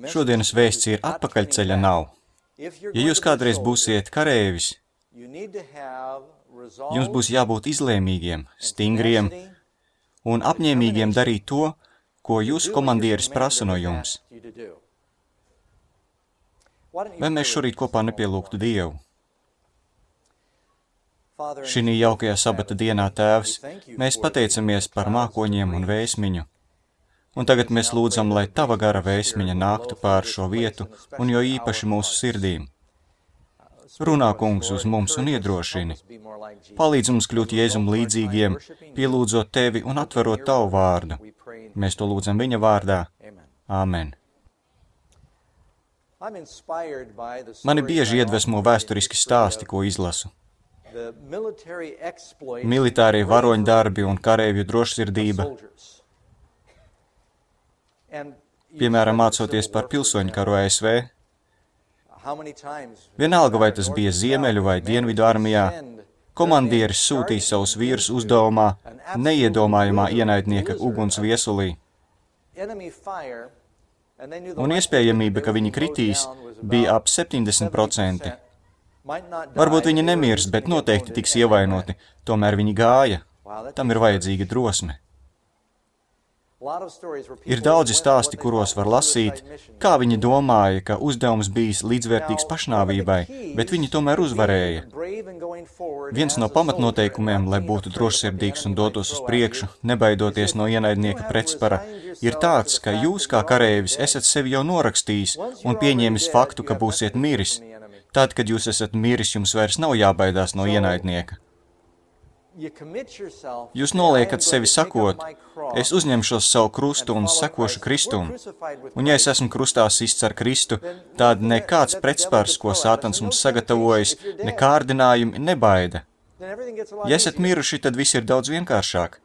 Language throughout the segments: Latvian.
Šodienas vēsts ir atpakaļceļa nav. Ja jūs kādreiz būsiet kareivis, jums būs jābūt izlēmīgiem, stingriem un apņēmīgiem darīt to, ko jūsu komandieris prasa no jums. Vai mēs šorīt kopā nepielūgtu Dievu? Šī jaukajā sabata dienā, Tēvs, mēs pateicamies par mākoņiem un vēsmiņu. Un tagad mēs lūdzam, lai Tava gara vēsmiņa nāktu pār šo vietu un jo īpaši mūsu sirdīm. Runā, Kungs, uz mums un iedrošini. Palīdz mums kļūt Jēzum līdzīgiem, pielūdzot Tevi un atverot Tavu vārdu. Mēs to lūdzam Viņa vārdā. Āmen. Mani bieži iedvesmo vēsturiski stāsti, ko izlasu. Militārie varoņdarbi un kareivju drošsirdība. Piemēram, mācoties par pilsoņu karu ASV. Vienalga, vai tas bija Ziemeļu vai Dienvidu armijā, komandieris sūtīja savus vīrus uzdevumā neiedomājumā ienaidnieka uguns viesulī. Un iespējamība, ka viņi kritīs, bija ap 70%. Varbūt viņi nemirs, bet noteikti tiks ievainoti, tomēr viņi gāja. Tam ir vajadzīga drosme. Ir daudzi stāsti, kuros var lasīt, kā viņi domāja, ka uzdevums bijis līdzvērtīgs pašnāvībai, bet viņi tomēr uzvarēja. Viens no pamatnoteikumiem, lai būtu drošsirdīgs un dotos uz priekšu, nebaidoties no ienaidnieka pretspara, ir tāds, ka jūs kā kareivis esat sevi jau norakstījis un pieņēmis faktu, ka būsiet miris. Tad, kad jūs esat miris, jums vairs nav jābaidās no ienaidnieka. Jūs noliekat sevi sakot, es uzņemšos savu krustu un sekošu Kristum. Un ja es esmu krustā sists ar Kristu, tad nekāds pretspars, ko Sātans mums sagatavojas, ne kārdinājumi nebaida. Ja esat miruši, tad viss ir daudz vienkāršāk.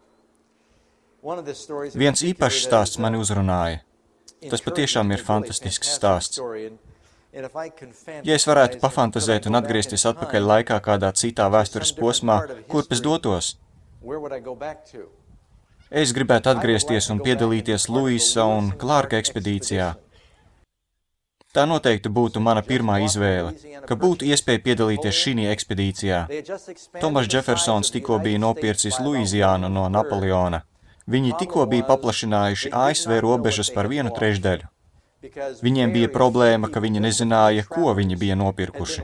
Viens īpašs stāsts mani uzrunāja. Tas patiešām ir fantastisks stāsts. Ja es varētu pafantazēt un atgriezties atpakaļ laikā kādā citā vēstures posmā, kurp es dotos? Es gribētu atgriezties un piedalīties Luisa un Klārka ekspedīcijā. Tā noteikti būtu mana pirmā izvēle, ka būtu iespēja piedalīties šī ekspedīcijā. Tomas Džefersons tikko bija nopircis Luiziānu no Napoleona. Viņi tikko bija paplašinājuši ASV robežas par 1/3. Viņiem bija problēma, ka viņi nezināja, ko viņi bija nopirkuši.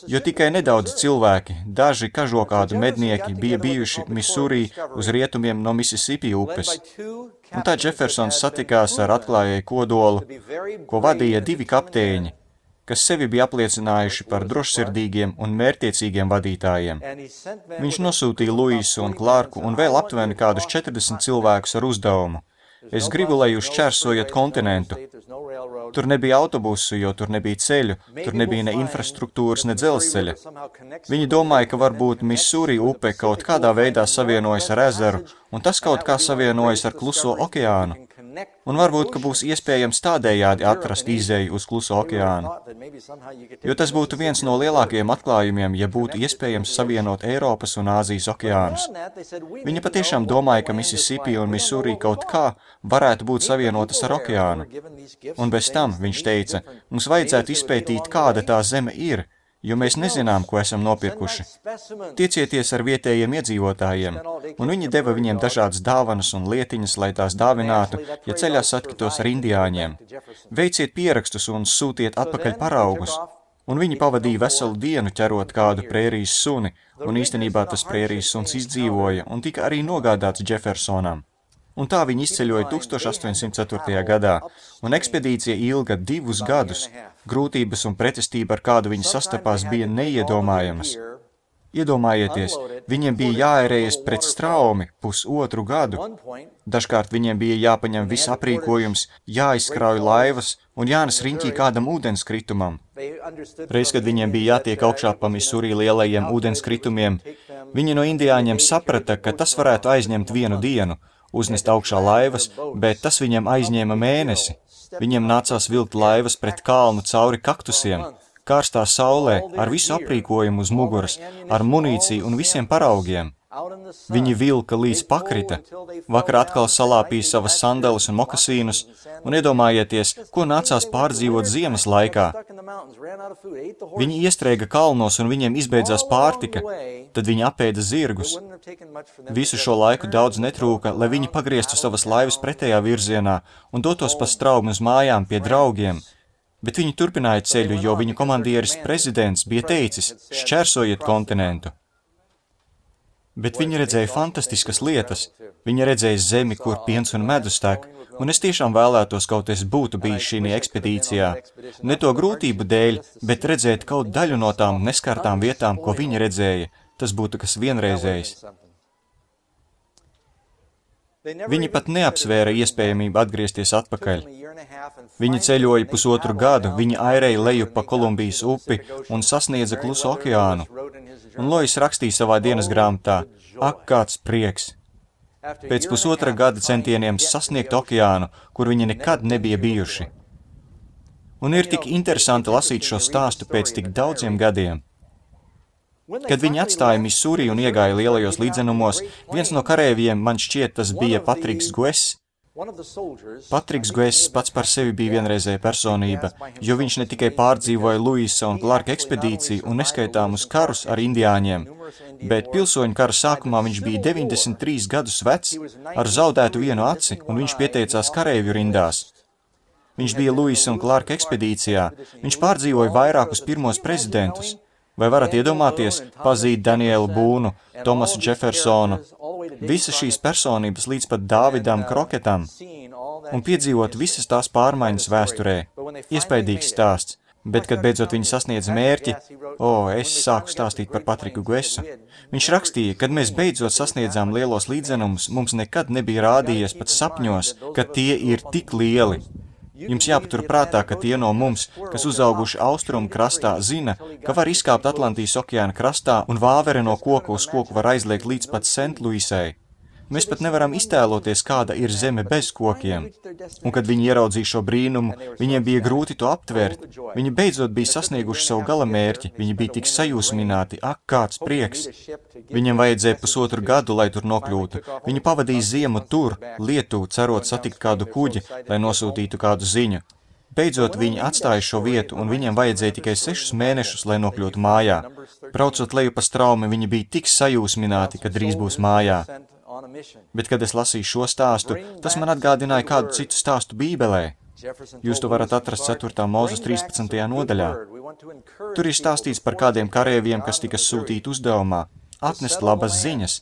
Jo tikai nedaudz cilvēki, daži kažokādu mednieki bija bijuši Missouri uz rietumiem no Mississippi upes. Un tā Džefersons satikās ar atklājēju kodolu, ko vadīja 2 kapteiņi, kas sevi bija apliecinājuši par drošsirdīgiem un mērķtiecīgiem vadītājiem. Viņš nosūtīja Luisu un Klārku un vēl aptuveni kādus 40 cilvēkus ar uzdevumu. Es gribu, lai jūs šķērsojat kontinentu. Tur nebija autobusu, jo tur nebija ceļu, tur nebija ne infrastruktūras, ne dzelzceļa. Viņi domāja, ka varbūt Missouri upe kaut kādā veidā savienojas ar ezeru, un tas kaut kā savienojas ar Kluso okeānu. Un varbūt, ka būs iespējams tādējādi atrast izēju uz Kluso okeānu. Jo tas būtu viens no lielākajiem atklājumiem, ja būtu iespējams savienot Eiropas un Āzijas okeānus. Viņi patiešām domāja, ka Mississippi un Missouri kaut kā varētu būt savienotas ar okeānu. Un bez tam, viņš teica, mums vajadzētu izpētīt, kāda tā zeme ir, jo mēs nezinām, ko esam nopirkuši. Tiecieties ar vietējiem iedzīvotājiem, un viņi deva viņiem dažādas dāvanas un lietiņas, lai tās dāvinātu, ja ceļā satiktos ar indiāņiem. Veiciet pierakstus un sūtiet atpakaļ paraugus. Un viņi pavadīja veselu dienu ķerot kādu prērijas suni, un īstenībā tas prērijas suns izdzīvoja un tika arī nogādāts Džefersonam. Un tā viņi izceļoja 1804. gadā, un ekspedīcija ilga 2 gadus. Grūtības un pretestība, ar kādu viņi sastapās, bija neiedomājamas. Iedomājieties, viņiem bija jāērējas pret straumi 1,5 gadu. Dažkārt viņiem bija jāpaņem viss aprīkojums, jāizkrauj laivas un jānes riņķī kādam ūdenskritumam. Reiz, kad viņiem bija jātiek augšā pa Missouri lielajiem ūdenskritumiem, viņi no indiāņiem saprata, ka tas varētu aizņemt 1 dienu, uznest augšā laivas, bet tas viņiem aizņēma mēnesi. Viņiem nācās vilkt laivas pret kalnu cauri kaktusiem, karstā saulē, ar visu aprīkojumu uz muguras, ar munīciju un visiem paraugiem. Viņi vilka līdz pakrita, vakar atkal salāpīja savas sandeles un mokasīnus, un iedomājieties, ko nācās pārdzīvot ziemas laikā. Viņi iestrēga kalnos un viņiem izbeidzās pārtika, tad viņi apēda zirgus. Visu šo laiku daudz netrūka, lai viņi pagrieztu savas laivas pretējā virzienā un dotos pa straumi uz mājām pie draugiem, bet viņi turpināja ceļu, jo viņu komandieris prezidents bija teicis, šķērsojiet kontinentu. Bet viņi redzēja fantastiskas lietas. Viņi redzēja zemi, kur piens un medus tek, un es tiešām vēlētos, kaut es būtu bijis šī ekspedīcijā. Ne to grūtību dēļ, bet redzēt kaut daļu no tām neskartām vietām, ko viņi redzēja. Tas būtu kas vienreizējs. Viņi pat neapsvēra iespējamību atgriezties atpakaļ. Viņi ceļoja 1,5 gadu, viņi airēja leju pa Kolumbijas upi un sasniedza Klusu okeānu. Un Lois rakstīja savā dienas grāmatā, ak, kāds prieks! Pēc 1,5 gada centieniem sasniegt okeānu, kur viņi nekad nebija bijuši. Un ir tik interesanti lasīt šo stāstu pēc tik daudziem gadiem. Kad viņi atstāja Misūri un iegāja lielajos līdzenumos, viens no karēviem, man šķiet, tas bija Patriks Guess. Patriks Guess pats par sevi bija vienreizēja personība, jo viņš ne tikai pārdzīvoja Luisa un Clarka ekspedīciju un neskaitāmus karus ar indiāņiem, bet pilsoņu kara sākumā viņš bija 93 gadus vecs, ar zaudētu vienu aci, un viņš pieteicās karēvju rindās. Viņš bija Luisa un Clarka ekspedīcijā, viņš pārdzīvoja vairākus pirmos prezidentus. Vai varat iedomāties, pazīt Danielu Būnu, Tomasu Džefersonu, visas šīs personības līdz pat Dāvidam Kroketam, un piedzīvot visas tās pārmaiņas vēsturē? Iespaidīgs stāsts, bet, kad beidzot viņi sasniedza mērķi, es sāku stāstīt par Patriku Guessu. Viņš rakstīja, kad mēs beidzot sasniedzām lielos līdzenumus, mums nekad nebija rādījies pat sapņos, ka tie ir tik lieli. Jums jāpatur prātā, ka tie no mums, kas uzauguši austrumu krastā, zina, ka var izkāpt Atlantijas okeāna krastā un vāvere no koka uz koku var aizliegt līdz pat Sent-Luisai. Mēs pat nevaram iztēloties, kāda ir zeme bez kokiem. Un kad viņi ieraudzīja šo brīnumu, viņiem bija grūti to aptvert. Viņi beidzot bija sasnieguši savu galamērķi, viņi bija tik sajūsmināti, ak, kāds prieks. Viņiem vajadzēja 1,5 gadu, lai tur nokļūtu. Viņi pavadīja ziemu tur, Lietuvā, cerot satikt kādu kuģi, lai nosūtītu kādu ziņu. Beidzot viņi atstāja šo vietu, un viņiem vajadzēja tikai 6 mēnešus, lai nokļūtu mājā. Braucot leju pa straumi, viņi bija tik sajūsmināti, ka drīz būs mājā. Bet, kad es lasīju šo stāstu, tas man atgādināja kādu citu stāstu Bībelē. Jūs to varat atrast 4. Mūzes 13. nodaļā. Tur ir stāstīts par kādiem karēviem, kas tika sūtīti uzdevumā atnest labas ziņas.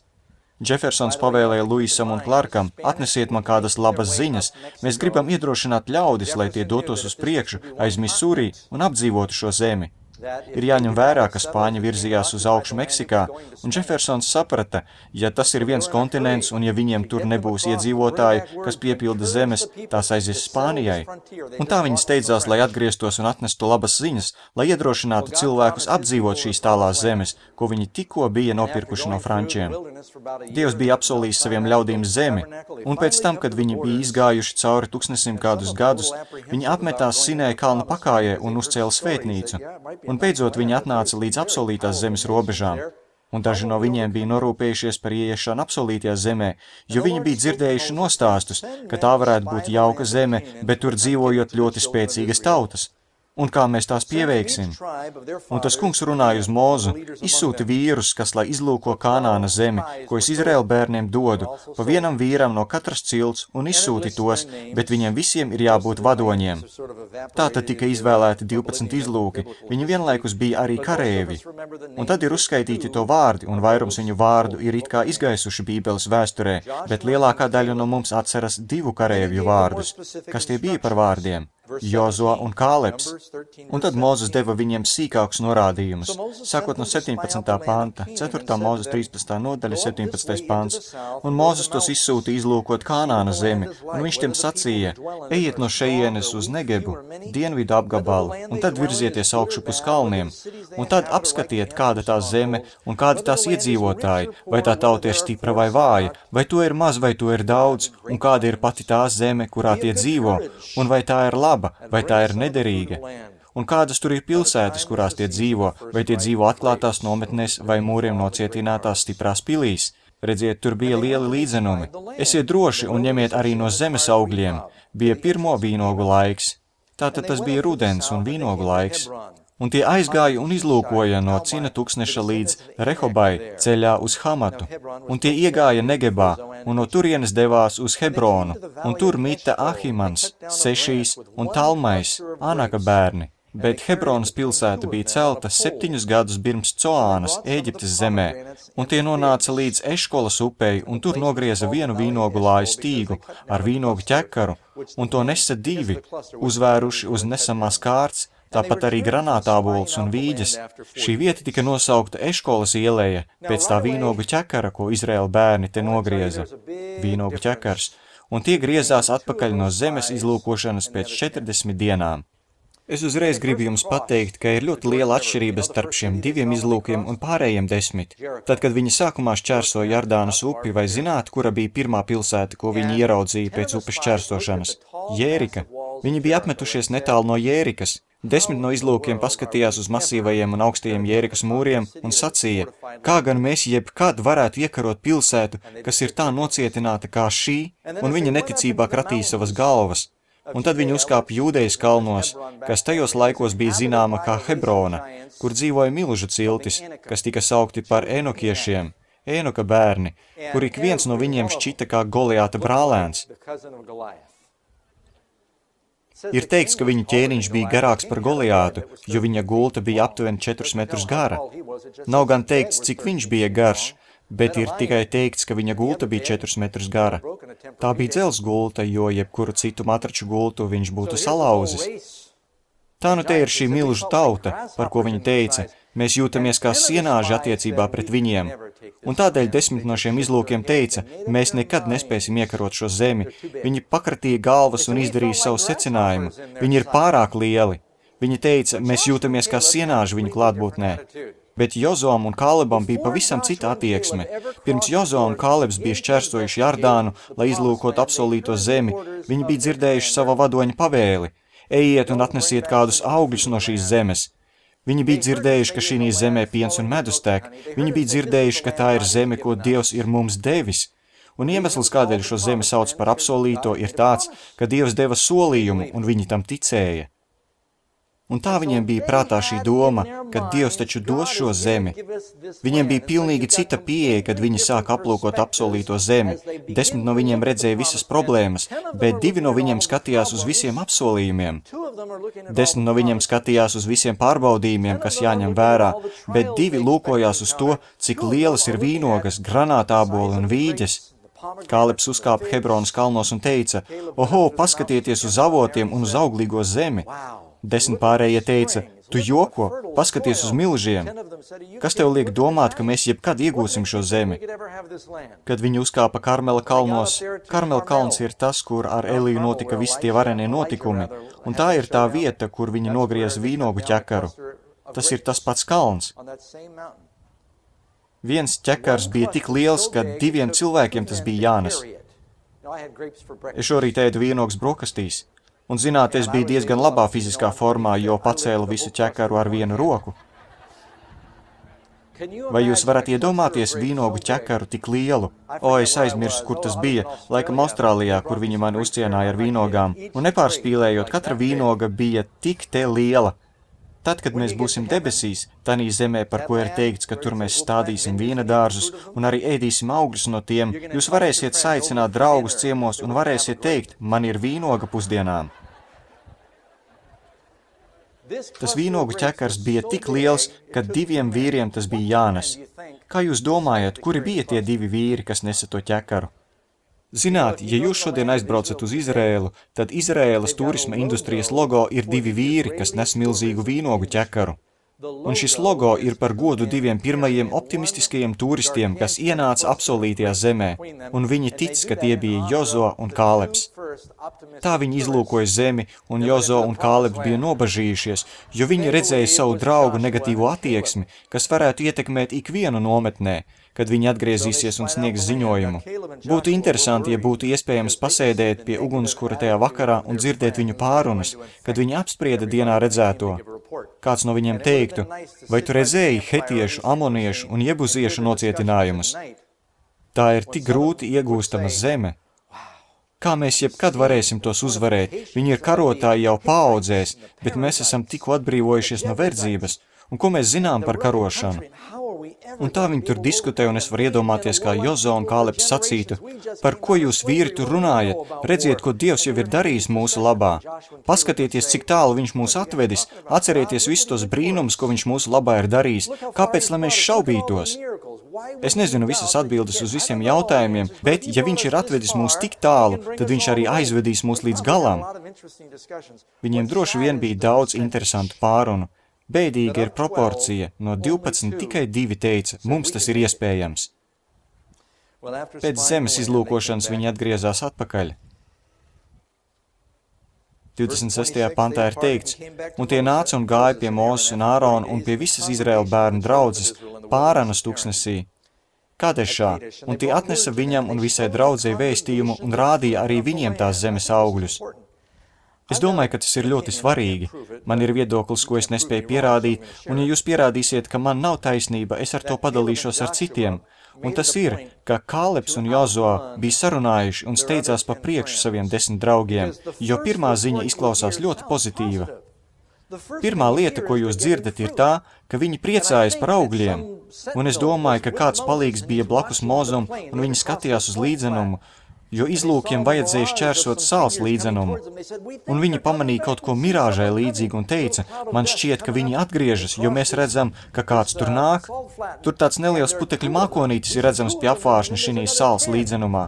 Džefersons pavēlēja Luisam un Clarkam, atnesiet man kādas labas ziņas, mēs gribam iedrošināt ļaudis, lai tie dotos uz priekšu aiz Misūri un apdzīvotu šo zemi. Ir jāņem vērā, ka Spāņi virzījās uz augšu Meksikā, un Džefersons saprata, ja tas ir viens kontinents un ja viņiem tur nebūs iedzīvotāji, kas piepilda zemes, tās aizies Spānijai. Un tā viņi steidzās, lai atgrieztos un atnestu labas ziņas, lai iedrošinātu cilvēkus apdzīvot šīs tālās zemes, ko viņi tikko bija nopirkuši no frančiem. Dievs bija apsolījis saviem ļaudīm zemi, un pēc tam, kad viņi bija izgājuši cauri 1000 kādus gadus, viņi apmetās Sinēja kalna pakājē un uzcēla svētnīcu. Un beidzot viņi atnāca līdz apsolītās zemes robežām, un daži no viņiem bija norūpējušies par ieiešanu apsolītajā zemē, jo viņi bija dzirdējuši nostāstus, ka tā varētu būt jauka zeme, bet tur dzīvojot ļoti spēcīgas tautas. Un kā mēs tās pieveiksim? Un tas kungs runāja uz Mozu, izsūti vīrus, kas lai izlūko Kanāna zemi, ko es Izraēla bērniem dodu, pa vienam vīram no katras cilts un izsūti tos, bet viņiem visiem ir jābūt vadoņiem. Tātad tika izvēlēti 12 izlūki, viņi vienlaikus bija arī karēvi. Un tad ir uzskaitīti to vārdi, un vairums viņu vārdu ir it kā izgaisuši Bībeles vēsturē, bet lielākā daļa no mums atceras 2 karēvju vārdus. Kas tie bija par vārdiem? Jozua un Kāleps. Un tad Mūzes deva viņiem sīkākus norādījumus, sākot no 17. panta, 4. Mūzes 13. nodaļa, 17. pants. Un Mūzes tos izsūta izlūkot Kanāna zemi, un viņš tiem sacīja, ejiet no šejienes uz Negebu, dienvidu apgabalu, un tad virzieties augšu pus kalniem, un tad apskatiet, kāda tā zeme un kādi tās iedzīvotāji, vai tā tauta ir stipra vai vāja, vai to ir maz, vai to ir daudz, un kāda ir pati tā zeme, kurā tie dzīvo, un vai tā ir laba, vai tā ir nederīga. Un kādas tur ir pilsētas, kurās tie dzīvo, vai tie dzīvo atklātās nometnēs vai mūriem nocietinātās stiprās pilīs? Redziet, tur bija lieli līdzenumi. Esiet droši un ņemiet arī no zemes augļiem. Bija pirmo vīnogu laiks. Tātad tas bija rudens un vīnogu laiks. Un tie aizgāja un izlūkoja no Cina tuksneša līdz Rehobai ceļā uz Hamatu. Un tie iegāja Negebā un no turienes devās uz Hebronu. Un tur mita Ahimans, Sešīs un Talmais, Anaka bērni. Bet Hebronas pilsēta bija celta 7 gadus pirms Coānas, Ēģiptes zemē, un tie nonāca līdz Eškolas upei, un tur nogrieza vienu vīnogu lāju stīgu ar vīnogu ķekaru, un to nesa 2, uzvēruši uz nesamās kārts, tāpat arī granātābols un vīģes. Šī vieta tika nosaukta Eškolas ieleja pēc tā vīnogu ķekara, ko Izraēla bērni te nogrieza. Vīnogu ķekars, un tie griezās atpakaļ no zemes izlūkošanas pēc 40 dienām. Es uzreiz gribu jums pateikt, ka ir ļoti liela atšķirība starp šiem 2 izlūkiem un pārējiem 10. Tad, kad viņi sākumā šķērsoja Jardānas upi, vai zināt, kura bija pirmā pilsēta, ko viņi ieraudzīja pēc upes šķērsošanas? Jērika. Viņi bija apmetušies netālu no Jērikas. 10 no izlūkiem paskatījās uz masīvajiem un augstajiem Jērikas mūriem un sacīja, kā gan mēs jebkad varētu iekarot pilsētu, kas ir tā nocietināta kā šī, un viņa neticībā kratīja savas galvas. Un tad viņi uzkāpa Jūdejas kalnos, kas tajos laikos bija zināma kā Hebrona, kur dzīvoja milžu ciltis, kas tika saukti par Enokiešiem, Enoka bērni, kur ik viens no viņiem šķita kā Goliāta brālēns. Ir teikts, ka viņa ķēniņš bija garāks par Goliātu, jo viņa gulta bija aptuveni 4 metrus gara. Nav gan teikts, cik viņš bija garš, bet ir tikai teikts, ka viņa gulta bija 4 metrus gara. Tā bija dzelzs gulta, jo jebkuru citu matraču gultu viņš būtu salauzis. Tā nu te ir šī milžu tauta, par ko viņa teica, mēs jūtamies kā sienāži attiecībā pret viņiem. Un tādēļ 10 no šiem izlūkiem teica, mēs nekad nespēsim iekarot šo zemi. Viņi pakratīja galvas un izdarīja savu secinājumu. Viņi ir pārāk lieli. Viņi teica, mēs jūtamies kā sienāži viņu klātbūtnē. Bet Jozoam un Kālebam bija pavisam cita attieksme. Pirms Jozo un Kālebs bija šķērsojuši Jardānu, lai izlūkot apsolīto zemi, viņi bija dzirdējuši sava vadoņa pavēli. Ejiet un atnesiet kādus augļus no šīs zemes. Viņi bija dzirdējuši, ka šī zemē piens un medus tek. Viņi bija dzirdējuši, ka tā ir zeme, ko Dievs ir mums devis. Un iemesls, kādēļ šo zemi sauc par apsolīto, ir tāds, ka Dievs deva solījumu un viņi tam ticēja. Un tā viņiem bija prātā šī doma, ka Dievs taču dos šo zemi. Viņiem bija pilnīgi cita pieeja, kad viņi sāk aplūkot apsolīto zemi. 10 no viņiem redzēja visas problēmas, bet 2 no viņiem skatījās uz visiem apsolījumiem. 10 no viņiem skatījās uz visiem pārbaudījumiem, kas jāņem vērā, bet 2 lūkojās uz to, cik lielas ir vīnogas, granātāboli un vīģes. Kālebs uzkāpa Hebronas kalnos un teica, oho, paskatieties uz avotiem un uz auglīgo zemi. 10 pārējie teica, tu joko, paskaties uz milžiem. Kas tev liek domāt, ka mēs jebkad iegūsim šo zemi? Kad viņi uzkāpa Karmela kalnos, Karmela kalns ir tas, kur ar Eliju notika visi tie varenie notikumi, un tā ir tā vieta, kur viņi nogrieza vīnogu ķekaru. Tas ir tas pats kalns. Viens ķekars bija tik liels, ka 2 cilvēkiem tas bija jānes. Es šorīt ēdu vīnogas brokastīs. Un, zināt, es biju diezgan labā fiziskā formā, jo pacēlu visu ķekaru ar vienu roku. Vai jūs varat iedomāties vīnogu ķekaru tik lielu? Es aizmirsu, kur tas bija, laikam Austrālijā, kur viņi mani uzcienāja ar vīnogām. Un nepārspīlējot, katra vīnoga bija tik te liela. Tad, kad mēs būsim debesīs, tanī zemē, par ko ir teikts, ka tur mēs stādīsim vīna dārzus un arī ēdīsim augļus no tiem, jūs varēsiet saicināt draugus ciemos un varēsiet teikt, man ir vīnoga pusdienām. Tas vīnogu ķekars bija tik liels, ka 2 vīriem tas bija jānes. Kā jūs domājat, kuri bija tie 2 vīri, kas nesa to ķekaru? Zināt, ja jūs šodien aizbraucat uz Izraēlu, tad Izraēlas turisma industrijas logo ir 2 vīri, kas nes milzīgu vīnogu ķekaru. Un šis logo ir par godu 2 pirmajiem optimistiskajiem turistiem, kas ienāca apsolītajā zemē, un viņi tic, ka tie bija Jozo un Kālebs. Tā viņi izlūkoja zemi, un Jozo un Kālebs bija nobažījušies, jo viņi redzēja savu draugu negatīvo attieksmi, kas varētu ietekmēt ikvienu nometnē, kad viņi atgriezīsies un sniegs ziņojumu. Būtu interesanti, ja būtu iespējams pasēdēt pie ugunskura tajā vakarā un dzirdēt viņu pārunas, kad viņi apsprieda dienā redzēto. Kāds no viņiem teiktu, vai tu redzēji hetiešu, amoniešu un jebuziešu nocietinājumus? Tā ir tik grūti iegūstama zeme. Kā mēs jebkad varēsim tos uzvarēt? Viņi ir karotāji jau paaudzēs, bet mēs esam tikko atbrīvojušies no verdzības. Un ko mēs zinām par karošanu? Un tā viņi tur diskutē, un es varu iedomāties, kā Jozo un Kālebs sacītu, par ko jūs vīri tur runājat? Redziet, ko Dievs jau ir darījis mūsu labā. Paskatieties, cik tālu viņš mūs atvedis, atcerieties visus tos brīnumus, ko viņš mūsu labā ir darījis. Kāpēc, lai mēs šaubītos? Es nezinu visas atbildes uz visiem jautājumiem, bet, ja viņš ir atvedis mūs tik tālu, tad viņš arī aizvedīs mūs līdz galam. Viņiem droši vien bija daudz interesantu pārunu. Bēdīga ir proporcija, no 12 tikai 2 teica, mums tas ir iespējams. Pēc zemes izlūkošanas viņi atgriezās atpakaļ. 26. pantā ir teikts, un tie nāca un gāja pie Mūzes un Ārona un pie visas Izraēla bērnu draudzes, Pāranas tuksnesī, Kadešā, un tie atnesa viņam un visai draudzei vēstījumu un rādīja arī viņiem tās zemes augļus. Es domāju, ka tas ir ļoti svarīgi. Man ir viedoklis, ko es nespēju pierādīt, un ja jūs pierādīsiet, ka man nav taisnība, es ar to padalīšos ar citiem. Un tas ir, ka Kālebs un Jozo bija sarunājuši un steidzās pa priekšu saviem 10 draugiem, jo pirmā ziņa izklausās ļoti pozitīva. Pirmā lieta, ko jūs dzirdat, ir tā, ka viņi priecājas par augļiem, un es domāju, ka kāds palīgs bija blakus Mozum, un viņi skatījās uz līdzenumu, jo izlūkiem vajadzēja šķērsot sāls līdzenumu. Un viņi pamanīja kaut ko mirāžai līdzīgu un teica, man šķiet, ka viņi atgriežas, jo mēs redzam, ka kāds tur nāk. Tur tāds neliels putekļu mākonītis ir redzams pie apvāršņa šinī sāls līdzenumā.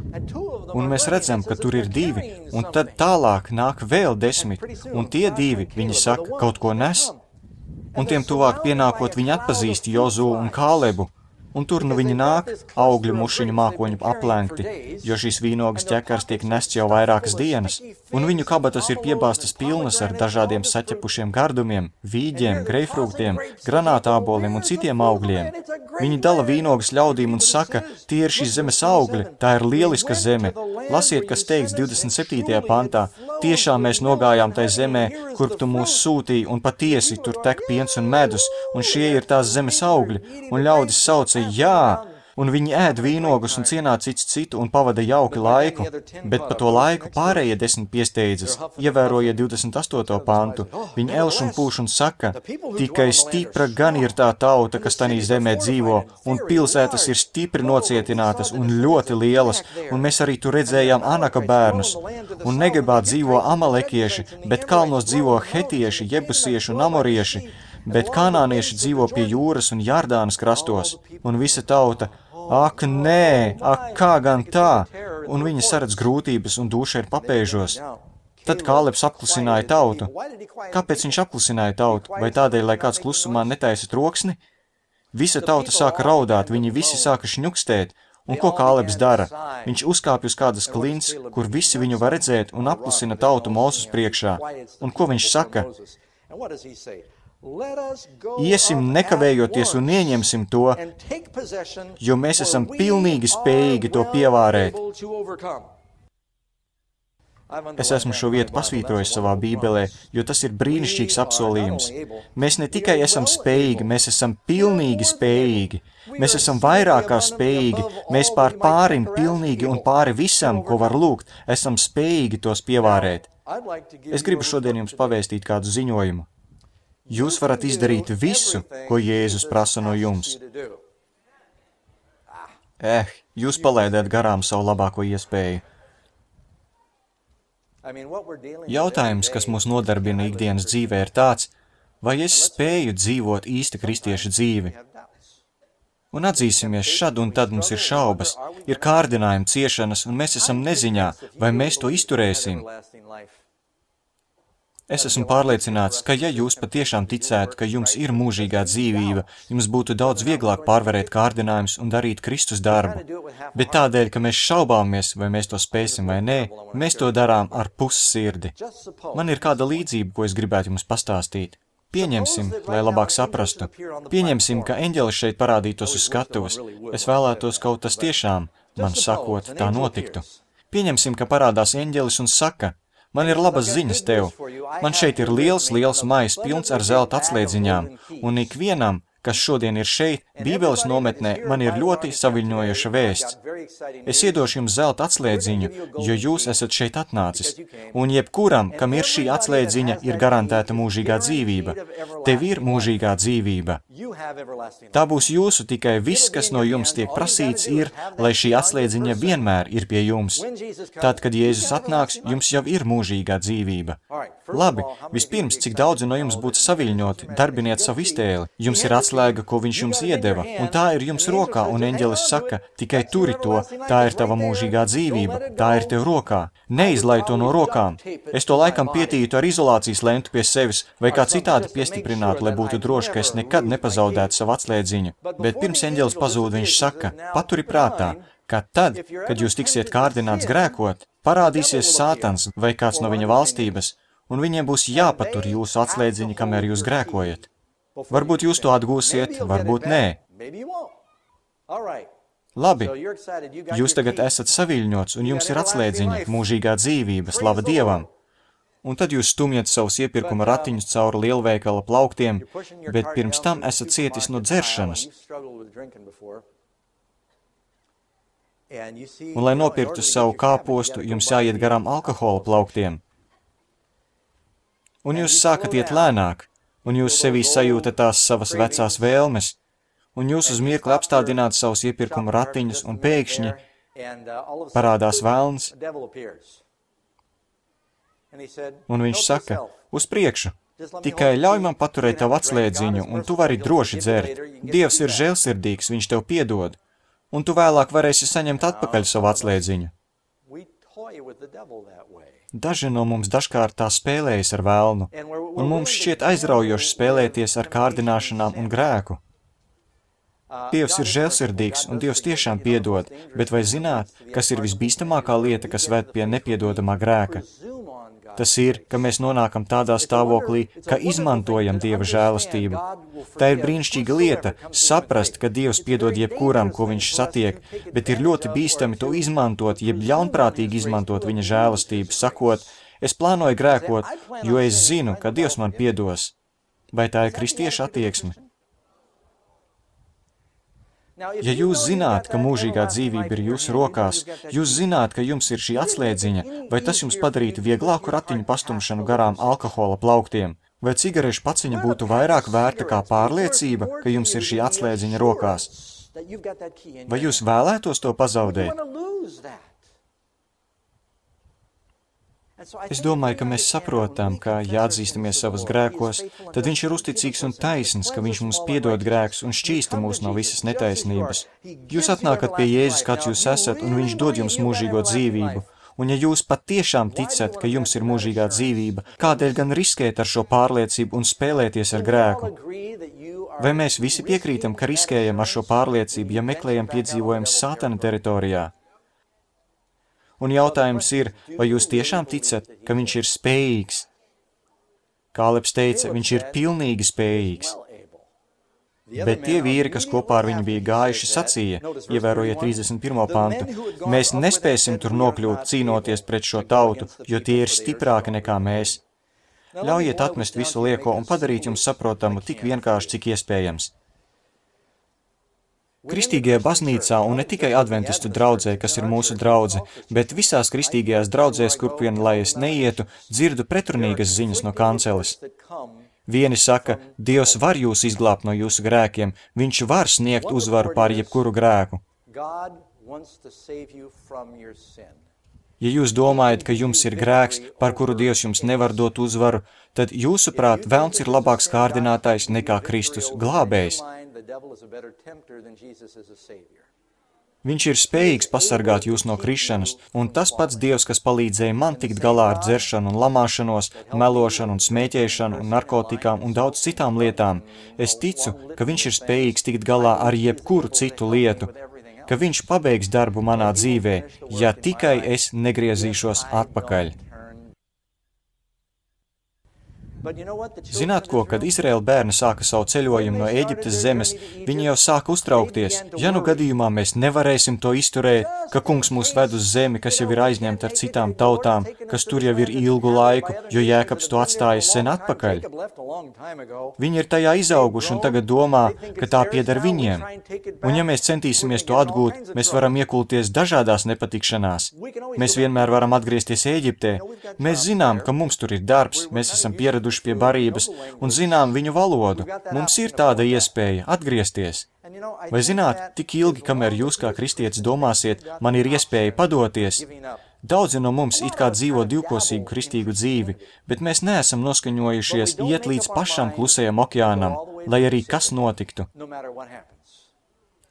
Un mēs redzam, ka tur ir 2, un tad tālāk nāk vēl 10, un tie 2, viņi saka, kaut ko nes. Un tiem tuvāk pienākot viņi atpazīst Jozu un Kālebu. Un tur nu viņi nāk, augļu mušiņu mākoņu aplenkti, jo šīs vīnogas ķekars tiek nests jau vairākas dienas, un viņu kabatas ir piebāstas pilnas ar dažādiem saķepušiem gardumiem, vīģiem, greifrūktiem, granātāboliem un citiem augļiem. Viņi dala vīnogas ļaudīm un saka, tie ir šīs zemes augļi, tā ir lieliska zeme. Lasiet, kas teikts 27. pantā, tiešām mēs nogājām tai zemē, kur tu mūs sūtīji, un patiesi tur tek piens un medus, un šie ir tās zemes augļi, un ļaudis sauca, jā, un viņi ēd vīnogus un cienā cits citu un pavada jauki laiku, bet pa to laiku pārējie 10 piesteidzas, ievēroja 28. pantu. Viņi elš un pūš un saka, tikai stipra gan ir tā tauta, kas tanī zemē dzīvo, un pilsētas ir stipri nocietinātas un ļoti lielas, un mēs arī tur redzējām Anaka bērnus, un Negebā dzīvo amalekieši, bet kalnos dzīvo hetieši, jebusieši un amorieši, bet kanānieši dzīvo pie jūras un Jardānas krastos, un visa tauta, ak nē, ak kā gan tā, un viņi saredz grūtības un dūša ir papēžos. Tad Kālebs apklusināja tautu. Kāpēc viņš apklusināja tautu? Vai tādēļ, lai kāds klusumā netaisa troksni? Visa tauta sāka raudāt, viņi visi sāka šņukstēt, un ko Kālebs dara? Viņš uzkāpj uz kādas klints, kur visi viņu var redzēt, un apklusina tautu Mūzes priekšā. Un ko viņš saka? Iesim nekavējoties un ieņemsim to, jo mēs esam pilnīgi spējīgi to pievārēt. Es esmu šo vietu pasvītrojis savā bībelē, jo tas ir brīnišķīgs apsolījums. Mēs ne tikai esam spējīgi, mēs esam pilnīgi spējīgi. Mēs esam vairāk kā spējīgi, mēs pārim pilnīgi un pāri visam, ko var lūgt, esam spējīgi tos pievārēt. Es gribu šodien jums pavēstīt kādu ziņojumu. Jūs varat izdarīt visu, ko Jēzus prasa no jums. Jūs palaidāt garām savu labāko iespēju. Jautājums, kas mūs nodarbina ikdienas dzīvē, ir tāds, vai es spēju dzīvot īsta kristieša dzīvi? Un atzīsimies, šad un tad mums ir šaubas, ir kārdinājumi, ciešanas, un mēs esam neziņā, vai mēs to izturēsim. Es esmu pārliecināts, ka ja jūs patiešām ticētu, ka jums ir mūžīgā dzīvība, jums būtu daudz vieglāk pārvarēt kārdinājumus un darīt Kristus darbu. Bet tādēļ, ka mēs šaubāmies, vai mēs to spēsim vai nē, mēs to darām ar pussirdi. Man ir kāda līdzība, ko es gribētu jums pastāstīt. Pieņemsim, lai labāk saprastu. Pieņemsim, ka eņģelis šeit parādītos uz skatuves. Es vēlētos, kaut tas tiešām, man sakot, tā notiktu. Pieņemsim, ka parādās eņģelis un saka, man ir labas ziņas tev. Man šeit ir liels maiss pilns ar zelta atslēdziņām, un ikvienam, kas šodien ir šeit, Bībeles nometnē, man ir ļoti saviļņojoša vēsts. Es iedošu jums zelta atslēdziņu, jo jūs esat šeit atnācis. Un jebkuram, kam ir šī atslēdziņa, ir garantēta mūžīgā dzīvība. Tev ir mūžīgā dzīvība. Tā būs jūsu, tikai viss, kas no jums tiek prasīts, ir, lai šī atslēdziņa vienmēr ir pie jums. Tad, kad Jēzus atnāks, jums jau ir mūžīgā dzīvība. Labi, vispirms, cik daudzi no jums būtu saviļņoti, darbiniet savu iztēli. Jums ir atslēga, ko viņš jums iedeva, un tā ir jums rokā, un eņģelis saka, tikai turi to, tā ir tava mūžīgā dzīvība, tā ir tev rokā. Neizlai to no rokām. Es to laikam pietītu ar izolācijas lentu pie sevis, vai kā citādi piestiprinātu, lai būtu droši, ka es nekad nepazaudētu savu atslēdziņu. Bet pirms eņģelis pazūd, viņš saka, paturi prātā, ka tad, kad jūs tiksiet kārdināts grēkot, parādīsies Sātans vai kāds no viņa valstības, un viņiem būs jāpatur jūsu atslēdziņi, kamēr jūs grēkojat. Varbūt jūs to atgūsiet, varbūt nē. Labi, jūs tagad esat saviļņots, un jums ir atslēdziņi, mūžīgā dzīvība, slava Dievam. Un tad jūs stumjat savus iepirkuma ratiņus cauri lielveikala plauktiem, bet pirms tam esat cietis no dzeršanas. Un, lai nopirktu savu kāpostu, jums jāiet garām alkohola plauktiem. Un jūs sākat iet lēnāk, un jūs sevī sajūtat tās savas vecās vēlmes, un jūs uz mirkli apstādināt savus iepirkuma ratiņus, un pēkšņi parādās velns. Un viņš saka, uz priekšu, tikai ļauj man paturēt tavu atslēdziņu, un tu vari droši dzert. Dievs ir žēlsirdīgs, viņš tev piedod, un tu vēlāk varēsi saņemt atpakaļ savu atslēdziņu. Daži no mums dažkārt tā spēlējas ar velnu, un mums šķiet aizraujoši spēlēties ar kārdināšanām un grēku. Dievs ir žēlsirdīgs, un Dievs tiešām piedod, bet vai zināt, kas ir visbīstamākā lieta, kas ved pie nepiedodamā grēka? Tas ir, ka mēs nonākam tādā stāvoklī, ka izmantojam Dieva žēlastību. Tā ir brīnišķīga lieta, saprast, ka Dievs piedod jebkuram, ko viņš satiek, bet ir ļoti bīstami to izmantot, jeb ļaunprātīgi izmantot viņa žēlastību, sakot, es plānoju grēkot, jo es zinu, ka Dievs man piedos. Vai tā ir kristieša attieksme? Ja jūs zināt, ka mūžīgā dzīvība ir jūsu rokās, jūs zināt, ka jums ir šī atslēdziņa, vai tas jums padarītu vieglāku ratiņu pastumšanu garām alkohola plauktiem? Vai cigarešu paciņa būtu vairāk vērta kā pārliecība, ka jums ir šī atslēdziņa rokās? Vai jūs vēlētos to pazaudēt? Es domāju, ka mēs saprotam, ka, ja atzīstamies savas grēkos, tad viņš ir uzticīgs un taisns, ka viņš mums piedod grēkus un šķīsta mūs no visas netaisnības. Jūs atnākat pie Jēzus, kāds jūs esat, un viņš dod jums mūžīgo dzīvību. Un ja jūs patiešām ticat, ka jums ir mūžīgā dzīvība, kādēļ gan riskēt ar šo pārliecību un spēlēties ar grēku? Vai mēs visi piekrītam, ka riskējam ar šo pārliecību, ja meklējam piedzīvojums Sātana teritorijā? Un jautājums ir, vai jūs tiešām ticat, ka viņš ir spējīgs? Kālebs teica, viņš ir pilnīgi spējīgs. Bet tie vīri, kas kopā ar viņu bija gājuši, sacīja, ievērojiet 31. pantu, mēs nespēsim tur nokļūt cīnoties pret šo tautu, jo tie ir stiprāki nekā mēs. Ļaujiet atmest visu lieko un padarīt jums saprotamu tik vienkārši, cik iespējams. Kristīgajā baznīcā un ne tikai adventistu draudzē, kas ir mūsu draudze, bet visās kristīgajās draudzēs, kurp vien lai es neietu, dzirdu pretrunīgas ziņas no kanceles. Vieni saka, Dievs var jūs izglābt no jūsu grēkiem, viņš var sniegt uzvaru pār jebkuru grēku. Ja jūs domājat, ka jums ir grēks, par kuru Dievs jums nevar dot uzvaru, tad jūsuprāt, velns ir labāks kārdinātājs nekā Kristus glābējs. Viņš ir spējīgs pasargāt jūs no krišanas, un tas pats Dievs, kas palīdzēja man tikt galā ar dzeršanu un lamāšanos, melošanu un smēķēšanu un narkotikām un daudz citām lietām, es ticu, ka viņš ir spējīgs tikt galā ar jebkuru citu lietu, ka viņš pabeigs darbu manā dzīvē, ja tikai es negriezīšos atpakaļ. Zināt ko, kad Izraēla bērni sāka savu ceļojumu no Ēģiptes zemes, viņi jau sāka uztraukties. Ja nu gadījumā mēs nevarēsim to izturēt, ka kungs mūs ved uz zemi, kas jau ir aizņemta ar citām tautām, kas tur jau ir ilgu laiku, jo Jēkabs to atstājis sen atpakaļ. Viņi ir tajā izauguši un tagad domā, ka tā pieder viņiem. Un ja mēs centīsimies to atgūt, mēs varam iekulties dažādās nepatikšanās. Mēs vienmēr varam atgriezties Ēģiptē. Mēs zinām, ka mums tur ir darbs, mēs esam pieraduši pie barības un zinām viņu valodu. Mums ir tāda iespēja atgriezties. Vai zināt, tik ilgi, kamēr jūs kā kristietis domāsiet, man ir iespēja padoties? Daudzi no mums it kā dzīvo divkosīgu kristīgu dzīvi, bet mēs neesam noskaņojušies iet līdz pašam klusajam okeānam, lai arī kas notiktu.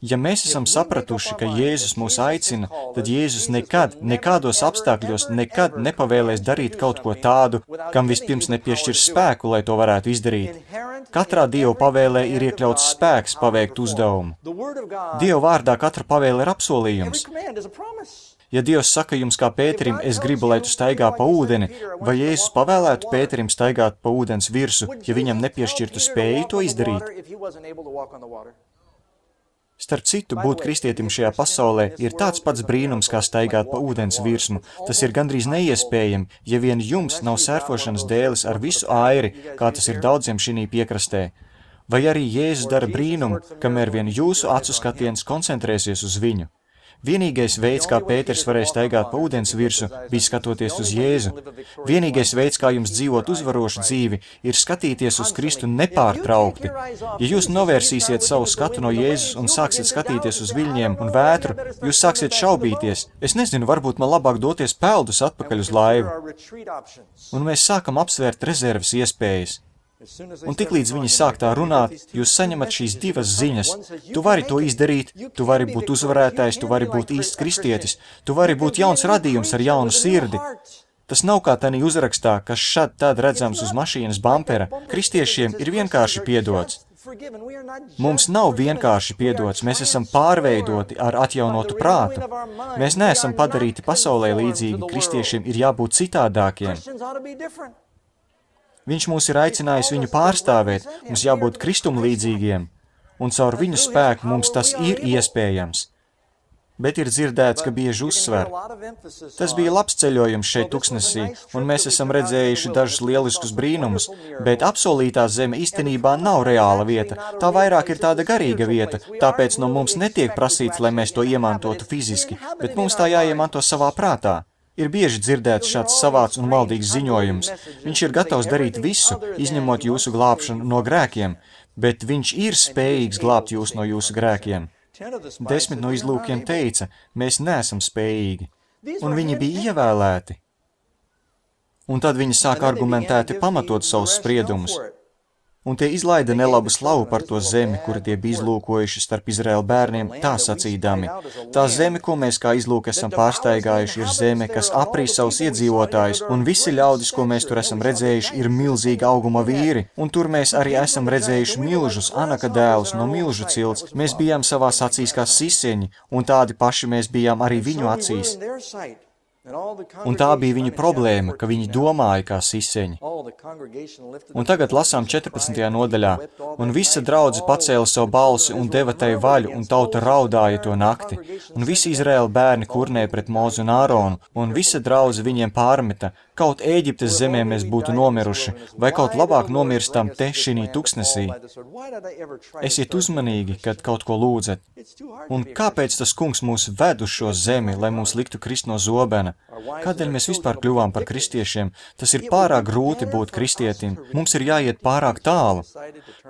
Ja mēs esam sapratuši, ka Jēzus mūs aicina, tad Jēzus nekad, nekādos apstākļos, nekad nepavēlēs darīt kaut ko tādu, kam vispirms nepiešķirs spēku, lai to varētu izdarīt. Katrā Dieva pavēlē ir iekļauts spēks paveikt uzdevumu. Dieva vārdā katra pavēle ir apsolījums. Ja Dievs saka jums kā Pēterim, es gribu, lai tu staigā pa ūdeni, vai Jēzus pavēlētu Pēterim staigāt pa ūdens virsu, ja viņam nepiešķirtu spēju to izdarīt? Starp citu, būt kristietim šajā pasaulē ir tāds pats brīnums, kā staigāt pa ūdens virsmu. Tas ir gandrīz neiespējami, ja vien jums nav sērfošanas dēles ar visu airi, kā tas ir daudziem šinī piekrastē. Vai arī Jēzus dara brīnumu, kamēr vien jūsu acu skatiens koncentrēsies uz viņu. Vienīgais veids, kā Pēters varēja staigāt pa ūdens virsu, bija skatoties uz Jēzu. Vienīgais veids, kā jums dzīvot uzvarošu dzīvi, ir skatīties uz Kristu nepārtraukti. Ja jūs novērsīsiet savu skatu no Jēzus un sāksiet skatīties uz viļņiem un vētru, jūs sāksiet šaubīties. Es nezinu, varbūt man labāk doties peldus atpakaļ uz laivu. Un mēs sākam apsvērt rezerves iespējas. Un tiklīdz viņi sāk tā runāt, jūs saņemat šīs divas ziņas. Tu vari to izdarīt, tu vari būt uzvarētājs, tu vari būt īsts kristietis, tu vari būt jauns radījums ar jaunu sirdi. Tas nav kā tanī uzrakstā, kas šad tad redzams uz mašīnas bampera. Kristiešiem ir vienkārši piedots. Mums nav vienkārši piedots, mēs esam pārveidoti ar atjaunotu prātu. Mēs neesam padarīti pasaulē līdzīgi, kristiešiem ir jābūt citādākiem. Viņš mūs ir aicinājis viņu pārstāvēt, mums jābūt kristumlīdzīgiem, un caur viņu spēku mums tas ir iespējams. Bet ir dzirdēts, ka bieži uzsver. Tas bija labs ceļojums šeit tuksnesī, un mēs esam redzējuši dažus lieliskus brīnumus, bet apsolītā zeme īstenībā nav reāla vieta, tā vairāk ir tāda garīga vieta, tāpēc no mums netiek prasīts, lai mēs to iemantotu fiziski, bet mums tā jāiemanto savā prātā. Ir bieži dzirdēts šāds savāds un maldīgs ziņojums. Viņš ir gatavs darīt visu, izņemot jūsu glābšanu no grēkiem, bet viņš ir spējīgs glābt jūs no jūsu grēkiem. 10 no izlūkiem teica, mēs neesam spējīgi, un viņi bija ievēlēti. Un tad viņi sāk argumentēti pamatot savus spriedumus. Un tie izlaida nelabu slavu par to zemi, kuru tie bija izlūkojuši starp Izraēla bērniem, tā sacīdami. Tā zeme, ko mēs kā izlūk esam pārstaigājuši, ir zeme, kas aprīs savus iedzīvotājus, un visi ļaudis, ko mēs tur esam redzējuši, ir milzīga auguma vīri, un tur mēs arī esam redzējuši milžus, Anaka dēlus no milžu cilts. Mēs bijām savās acīs kā siseņi, un tādi paši mēs bijām arī viņu acīs. Un tā bija viņa problēma, ka viņi domāja kā siseņi. Un tagad lasām 14. nodaļā, un visa draudze pacēla savu balsi un deva tai vaļu, un tauta raudāja to nakti. Un visi Izraēla bērni kurnēja pret Mozu un Āronu, un visa draudze viņiem pārmeta, kaut Ēģiptes zemē mēs būtu nomiruši, vai kaut labāk nomirstam te šinī tuksnesī. Esiet uzmanīgi, kad kaut ko lūdzat. Un kāpēc tas kungs mūs ved uz šo zemi, lai mūs liktu krist no zobena? Kādēļ mēs vispār kļuvām par kristiešiem? Tas ir pārāk grūti būt kristietim. Mums ir jāiet pārāk tālu.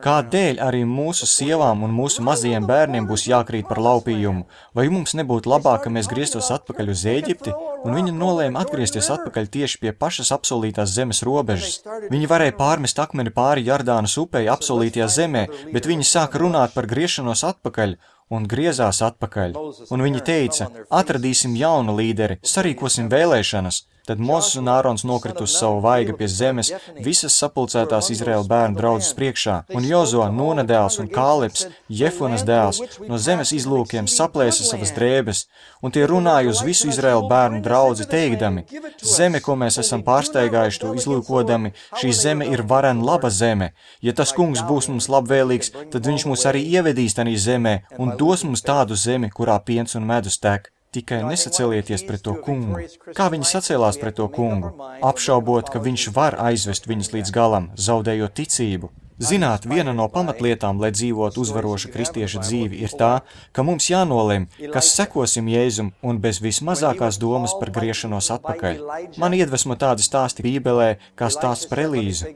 Kādēļ arī mūsu sievām un mūsu mazajiem bērniem būs jākrīt par laupījumu? Vai mums nebūtu labāk, ka mēs grieztos atpakaļ uz Ēģipti? Un viņi nolēma atgriezties atpakaļ tieši pie pašas apsolītās zemes robežas. Viņi varēja pārmest akmeni pāri Jardānas upei apsolītajā zemē, bet viņi sāka runāt par griešanos atpakaļ un griezās atpakaļ. Un viņi teica, atradīsim jaunu līderi, sarīkosim vēlēšanas. Tad Mozes un Ārons nokrita uz savu vaiga pie zemes, visas sapulcētās Izraēla bērnu draudzes priekšā, un Jozo, Nūna dēls un Kālebs, Jefunas dēls, no zemes izlūkiem saplēsa savas drēbes, un tie runāja uz visu Izraēla bērnu draudzi teikdami: Zeme, ko mēs esam pārsteigājuši to izlūkodami, šī zeme ir varen laba zeme. Ja tas kungs būs mums labvēlīgs, tad viņš mūs arī ievedīs tanī zemē un dos mums tādu zemi, kurā piens un medus tek. Tikai nesacelieties pret to kungu. Kā viņi sacēlās pret to kungu? Apšaubot, ka viņš var aizvest viņus līdz galam, zaudējot ticību. Zināt, viena no pamatlietām, lai dzīvot uzvarošu kristieša dzīvi, ir tā, ka mums jānolem, kas sekosim Jēzum un bez vismazākās domas par griešanos atpakaļ. Man iedvesmo tādi stāsti Bībelē, kā stāsts par Elīzu.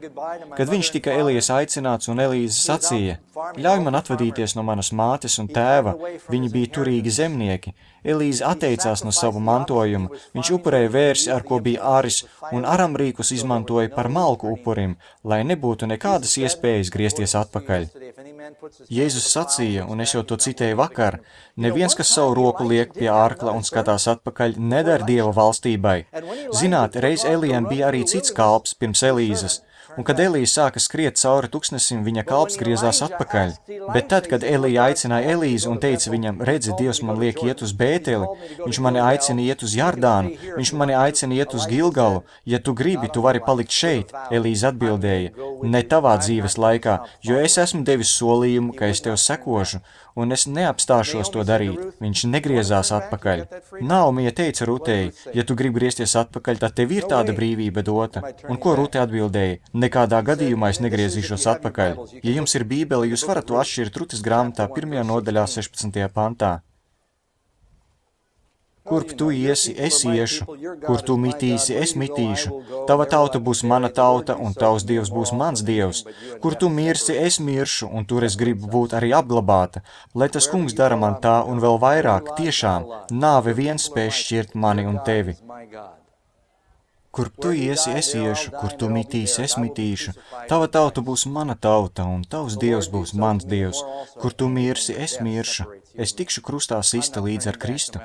Kad viņš tika Elijas aicināts un Elīze sacīja: Ļauj man atvadīties no manas mātes un tēva, viņi bija turīgi zemnieki. Elīze atteicās no savu mantojumu, viņš upurēja vērsi, ar ko bija āris, un aramrīkus izmantoja par malku upurim, lai nebūtu nekādas iespējas griezties atpakaļ. Jēzus sacīja, un es jau to citēju vakar, neviens, kas savu roku liek pie ārkla un skatās atpakaļ, nedara Dieva valstībai. Zināt, reiz Elijam bija arī cits kalps pirms Elīzes, un kad Elija sāka skriet cauri tuksnesim, viņa kalps griezās atpakaļ. Bet tad, kad Elija aicināja Elīzu un teica viņam: Redzi, Dievs man liek iet uz Bēteli, viņš mani aicina iet uz Jardānu, viņš mani aicina iet uz Gilgalu, ja tu gribi, tu vari palikt šeit. Elīze atbildēja: Ne tavā dzīves laikā, jo es esmu devis solījumu, ka es tev sekošu, un es neapstāšos to darīt. Viņš negriezās atpakaļ. Naomija teica Rutei: Ja tu gribi griezties atpakaļ, tad tev ir tāda brīvība dota. Un ko Rute atbildēja? Nekādā gadījumā es negriezīšos atpakaļ. Ja jums ir Bībele, jūs varat to atšķirt Rutes grāmatā 1. nodaļā 16. pantā. Kurp tu iesi, es iešu, kur tu mitīsi, es mitīšu, tava tauta būs mana tauta, un tavs dievs būs mans dievs. Kur tu mirsi, es miršu, un tur es gribu būt arī apglabāta. Lai tas kungs dara man tā, un vēl vairāk, tiešām, nāve viens spēj šķirt mani un tevi. Kurp tu iesi, es iešu, kur tu mitīsi, es mitīšu, tava tauta būs mana tauta, un tavs dievs būs mans dievs. Kur tu mirsi, es miršu, es tikšu krustā sista līdz ar Kristu.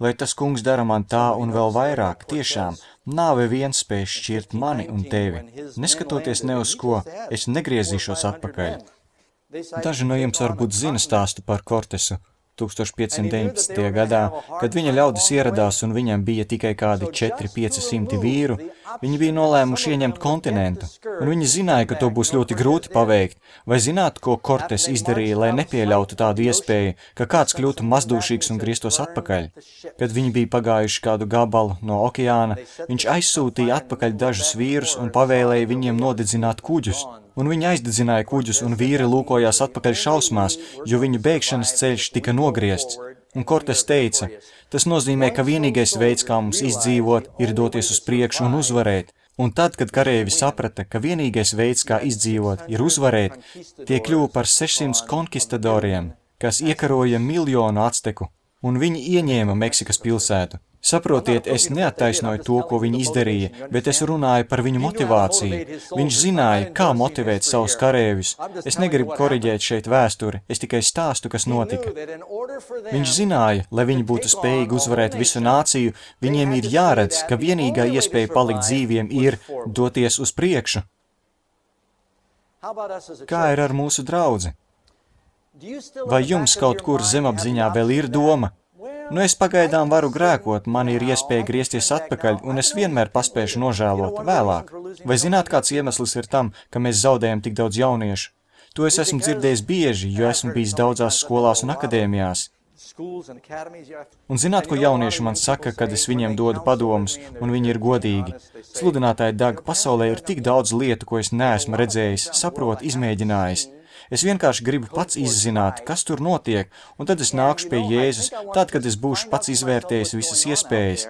Lai tas kungs dara man tā un vēl vairāk, tiešām, nāve viens spēj šķirt mani un tevi. Neskatoties ne uz ko, es negriezīšos atpakaļ. Daži no jums varbūt zina stāstu par Kortesu 1519. gadā, kad viņa ļaudis ieradās un viņam bija tikai kādi 400–500 vīru, viņi bija nolēmuši ieņemt kontinentu, un viņi zināja, ka to būs ļoti grūti paveikt. Vai zināt, ko Kortes izdarīja, lai nepieļautu tādu iespēju, ka kāds kļūtu mazdūšīgs un grieztos atpakaļ? Kad viņi bija pagājuši kādu gabalu no okeāna, viņš aizsūtīja atpakaļ dažus vīrus un pavēlēja viņiem nodedzināt kuģus. Un viņi aizdedzināja kuģus, un vīri lūkojās atpakaļ šausmās, jo viņu bēgšanas ceļš tika nogriezts. Un Kortes teica: Tas nozīmē, ka vienīgais veids, kā mums izdzīvot, ir doties uz priekšu un uzvarēt. Un tad, kad karēvi saprata, ka vienīgais veids, kā izdzīvot, ir uzvarēt, tie kļuva par 600 konkistadoriem, kas iekaroja 1 miljonu acteku, un viņi ieņēma Meksikas pilsētu. Saprotiet, es neattaisnoju to, ko viņi izdarīja, bet es runāju par viņu motivāciju. Viņš zināja, kā motivēt savus karēvis. Es negribu koriģēt šeit vēsturi, es tikai stāstu, kas notika. Viņš zināja, lai viņi būtu spējīgi uzvarēt visu nāciju, viņiem ir jāredz, ka vienīgā iespēja palikt dzīviem ir doties uz priekšu. Kā ir ar mūsu draudzi? Vai jums kaut kur zemapziņā vēl ir doma? Nu, es pagaidām varu grēkot, man ir iespēja griezties atpakaļ, un es vienmēr paspēšu nožēlot vēlāk. Vai zināt, kāds iemesls ir tam, ka mēs zaudējam tik daudz jauniešu? To es esmu dzirdējis bieži, jo esmu bijis daudzās skolās un akadēmijās. Un zināt, ko jaunieši man saka, kad es viņiem dodu padomus, un viņi ir godīgi? Sludinātāji Dag, pasaulē ir tik daudz lietu, ko es neesmu redzējis, saprot, izmēģinājis. Es vienkārši gribu pats izzināt, kas tur notiek, un tad es nākšu pie Jēzus, tad, kad es būšu pats izvērtējis visas iespējas.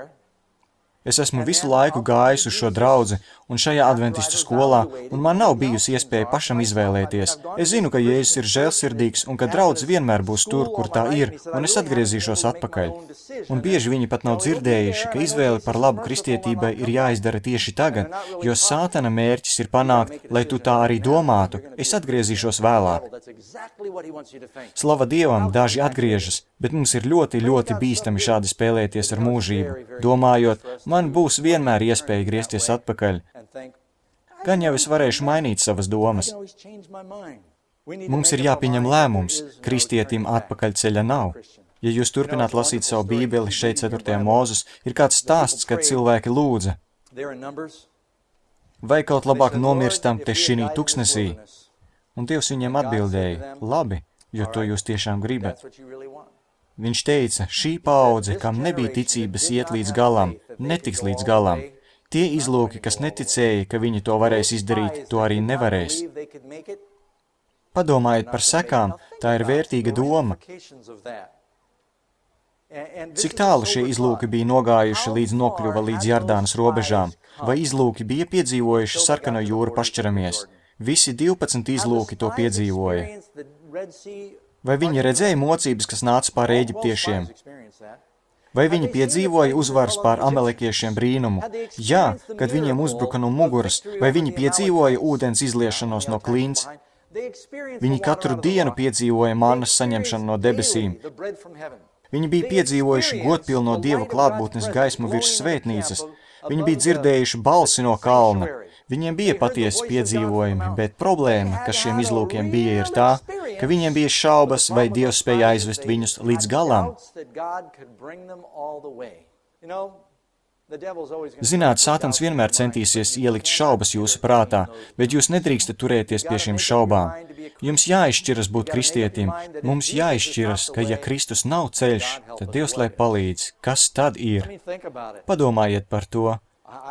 Es esmu visu laiku gājis uz šo draudzi un šajā adventistu skolā, un man nav bijusi iespēja pašam izvēlēties. Es zinu, ka Jēzus ir žēlsirdīgs un ka draudze vienmēr būs tur, kur tā ir, un es atgriezīšos atpakaļ. Un bieži viņi pat nav dzirdējuši, ka izvēle par labu kristietībai ir jāizdara tieši tagad, jo Sātana mērķis ir panākt, lai tu tā arī domātu. Es atgriezīšos vēlāk. Slava Dievam, daži atgriežas, Bet mums ir ļoti, ļoti bīstami šādi spēlēties ar mūžību, domājot, man būs vienmēr iespēja griezties atpakaļ. Gan jau es varēšu mainīt savas domas. Mums ir jāpieņem lēmums, kristietim atpakaļceļa nav. Ja jūs turpināt lasīt savu bībeli, šeit 4. Mūzes, ir kāds stāsts, kad cilvēki lūdza. Vai kaut labāk nomirstam te šinī tuksnesī? Un Dievs viņiem atbildēja, labi, jo to jūs tiešām gribat. Viņš teica, šī paudze, kam nebija ticības iet līdz galam, netiks līdz galam. Tie izlūki, kas neticēja, ka viņi to varēs izdarīt, to arī nevarēs. Padomājiet par sekām, tā ir vērtīga doma. Cik tālu šie izlūki bija nogājuši līdz nokļuva līdz Jardānas robežām? Vai izlūki bija piedzīvojuši sarkano jūru pašķiramies? Visi 12 izlūki to piedzīvoja. Vai viņi redzēja mocības, kas nāca pār eģiptiešiem? Vai viņi piedzīvoja uzvaras pār amalekiešiem brīnumu? Jā, kad viņiem uzbruka no muguras. Vai viņi piedzīvoja ūdens izliešanos no klints? Viņi katru dienu piedzīvoja mannas saņemšanu no debesīm. Viņi bija piedzīvojuši godpilno Dieva klātbūtnes gaismu virs svētnīcas. Viņi bija dzirdējuši balsi no kalna. Viņiem bija patiesi piedzīvojumi, bet problēma, kas šiem izlūkiem bija, ir tā, ka viņiem bija šaubas, vai Dievs spēja aizvest viņus līdz galam. Zināt, Sātans vienmēr centīsies ielikt šaubas jūsu prātā, bet jūs nedrīkstat turēties pie šīm šaubām. Jums jāizšķiras būt kristietim, mums jāizšķiras, ka ja Kristus nav ceļš, tad Dievs lai palīdz. Kas tad ir? Padomājiet par to.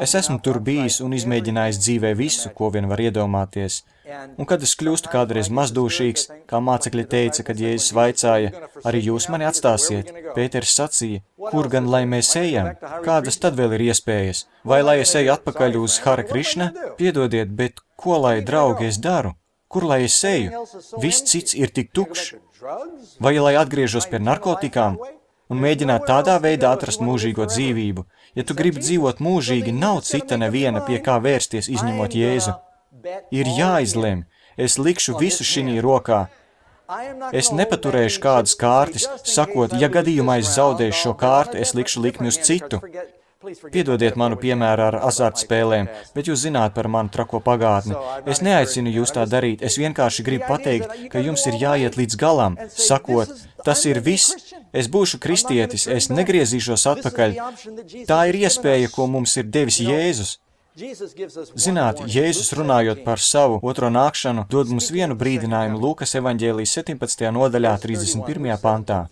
Es esmu tur bijis un izmēģinājis dzīvē visu, ko vien var iedomāties. Un kad es kļūstu kādreiz mazdūšīgs, kā mācekļi teica, kad Jēzus vaicāja, arī jūs mani atstāsiet, Pēters sacīja, kur gan lai mēs ejam, kādas tad vēl ir iespējas? Vai lai es eju atpakaļ uz Hare Krišna? Piedodiet, bet ko lai, draugi, es daru? Kur lai es eju? Viss cits ir tik tukšs. Vai lai atgriežos pie narkotikām un mēģināt tādā veidā atrast mūžīgo dzīvību? Ja tu gribi dzīvot mūžīgi, nav cita neviena, pie kā vērsties, izņemot Jēzu. Ir jāizlem, es likšu visu šinī rokā. Es nepaturēšu kādas kārtas, sakot, ja gadījumā es zaudēšu šo kārtu, es likšu likmi uz citu. Piedodiet manu piemēru ar azartspēlēm, bet jūs zināt par manu trako pagātni. Es neaicinu jūs tā darīt, es vienkārši gribu pateikt, ka jums ir jāiet līdz galam, sakot, tas ir viss, es būšu kristietis, es negriezīšos atpakaļ. Tā ir iespēja, ko mums ir devis Jēzus. Zināt, Jēzus runājot par savu otro nākšanu, dod mums vienu brīdinājumu Lūkas evaņģēlijas 17. nodaļā 31. pantā.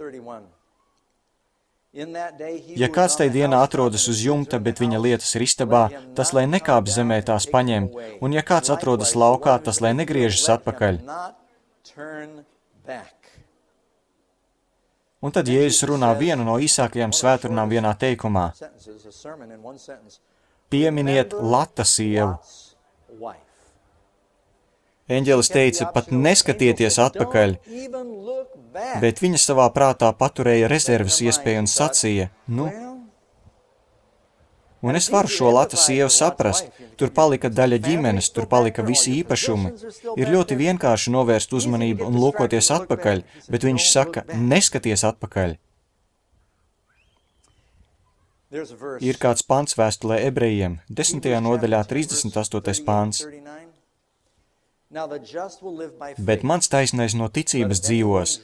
Ja kāds tai dienā atrodas uz jumta, bet viņa lietas ir istabā, tas lai nekāp zemē tās paņem, un ja kāds atrodas laukā, tas lai negriežas atpakaļ. Un tad Jēzus runā vienu no īsākajām svētrunām vienā teikumā. Pieminiet Lata sievu. Eņģelis teica, pat neskatieties atpakaļ, bet viņa savā prātā paturēja rezerves iespēju un sacīja, un es varu šo Lata sievu saprast, tur palika daļa ģimenes, tur palika visi īpašumi. Ir ļoti vienkārši novērst uzmanību un lūkoties atpakaļ, bet viņš saka, neskaties atpakaļ. Ir kāds pants vēstulē ebrejiem, 10. nodaļā 38. pants. Bet mans taisnais no ticības dzīvos,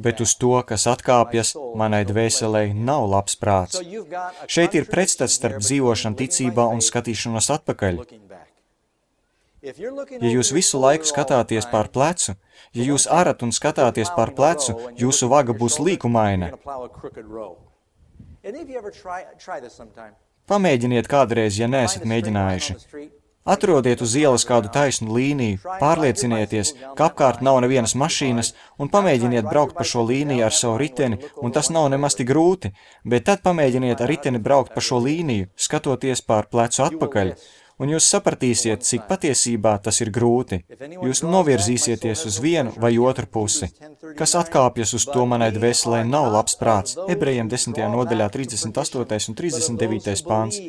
bet uz to, kas atkāpjas, manai dvēselei nav labs prāts. Šeit ir pretstats starp dzīvošanu ticībā un skatīšanos atpakaļ. Ja jūs visu laiku skatāties pār plecu, ja jūs arat un skatāties pār plecu, jūsu vaga būs līkumaina. Pamēģiniet kādreiz, ja neesat mēģinājuši. Atrodiet uz ielas kādu taisnu līniju, pārliecinieties, ka apkārt nav nevienas mašīnas, un pamēģiniet braukt pa šo līniju ar savu riteni, un tas nav nemaz tik grūti, bet tad pamēģiniet ar riteni braukt pa šo līniju, skatoties pār plecu atpakaļ, Un jūs sapratīsiet, cik patiesībā tas ir grūti. Jūs novirzīsieties uz vienu vai otru pusi. Kas atkāpjas uz to manai dvēselē nav labs prāts. Ebrejiem 10. nodaļā 38. un 39. pāns.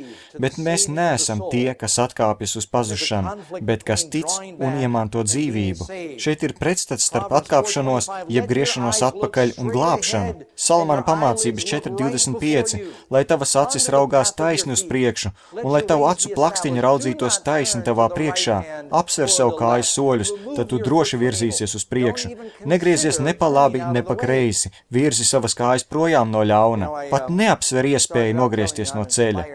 Bet mēs neesam tie, kas atkāpjas uz pazušanu, bet kas tic un iemanto dzīvību. Šeit ir pretstats starp atkāpšanos, jeb griešanos atpakaļ un glābšanu. Salamana pamācības 4.25, lai tavas acis raugās taisni uz priekšu, un lai tavu acu plakstiņa raudzītos taisni tavā priekšā, apsver savu kāju soļus, tad tu droši virzīsies uz priekšu. Negriezies ne pa labi, ne pa kreisi, virzi savas kājas projām no ļauna, pat neapsver iespēju nogriezties no ceļa.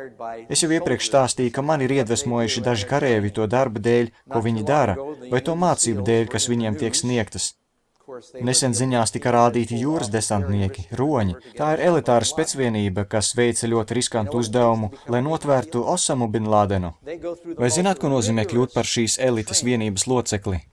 Es jau iepriekš stāstīju, ka man ir iedvesmojuši daži karēvi to darba dēļ, ko viņi dara, vai to mācību dēļ, kas viņiem tiek sniegtas. Nesen ziņās tika rādīti jūras desantnieki, roņi. Tā ir elitāra specvienība, kas veica ļoti riskantu uzdevumu, lai notvērtu Osamu bin Ladenu. Vai zināt, ko nozīmē kļūt par šīs elites vienības locekli?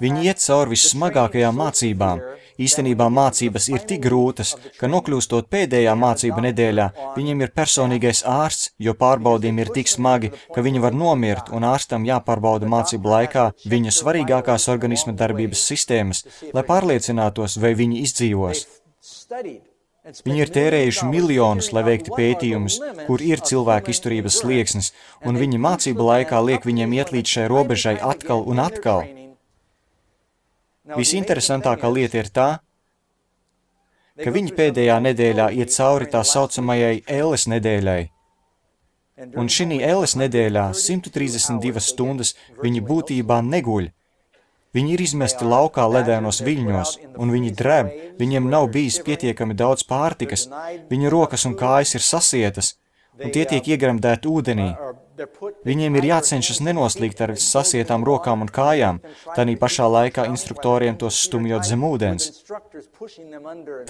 Viņi iet cauri vissmagākajām mācībām. Īstenībā mācības ir tik grūtas, ka nokļūstot pēdējā mācība nedēļā, viņiem ir personīgais ārsts, jo pārbaudījumi ir tik smagi, ka viņi var nomirt, un ārstam jāpārbauda mācību laikā viņu svarīgākās organisma darbības sistēmas, lai pārliecinātos, vai viņi izdzīvos. Viņi ir tērējuši miljonus, lai veiktu pētījumus, kur ir cilvēka izturības slieksnis, un viņi mācību laikā liek viņiem iet līdz šai robežai atkal un atkal. Visinteresantākā lieta ir tā, ka viņi pēdējā nedēļā iet cauri tā saucamajai Elles nedēļai. Un šī Elles nedēļā 132 stundas viņi būtībā neguļ. Viņi ir izmesti laukā ledēnos viļņos, un viņi dreb, viņiem nav bijis pietiekami daudz pārtikas, viņu rokas un kājas ir sasietas, un tie tiek iegremdēti ūdenī. Viņiem ir jācenšas nenoslīgt ar sasietām rokām un kājām, tanī pašā laikā instruktoriem tos stumjot zem ūdens.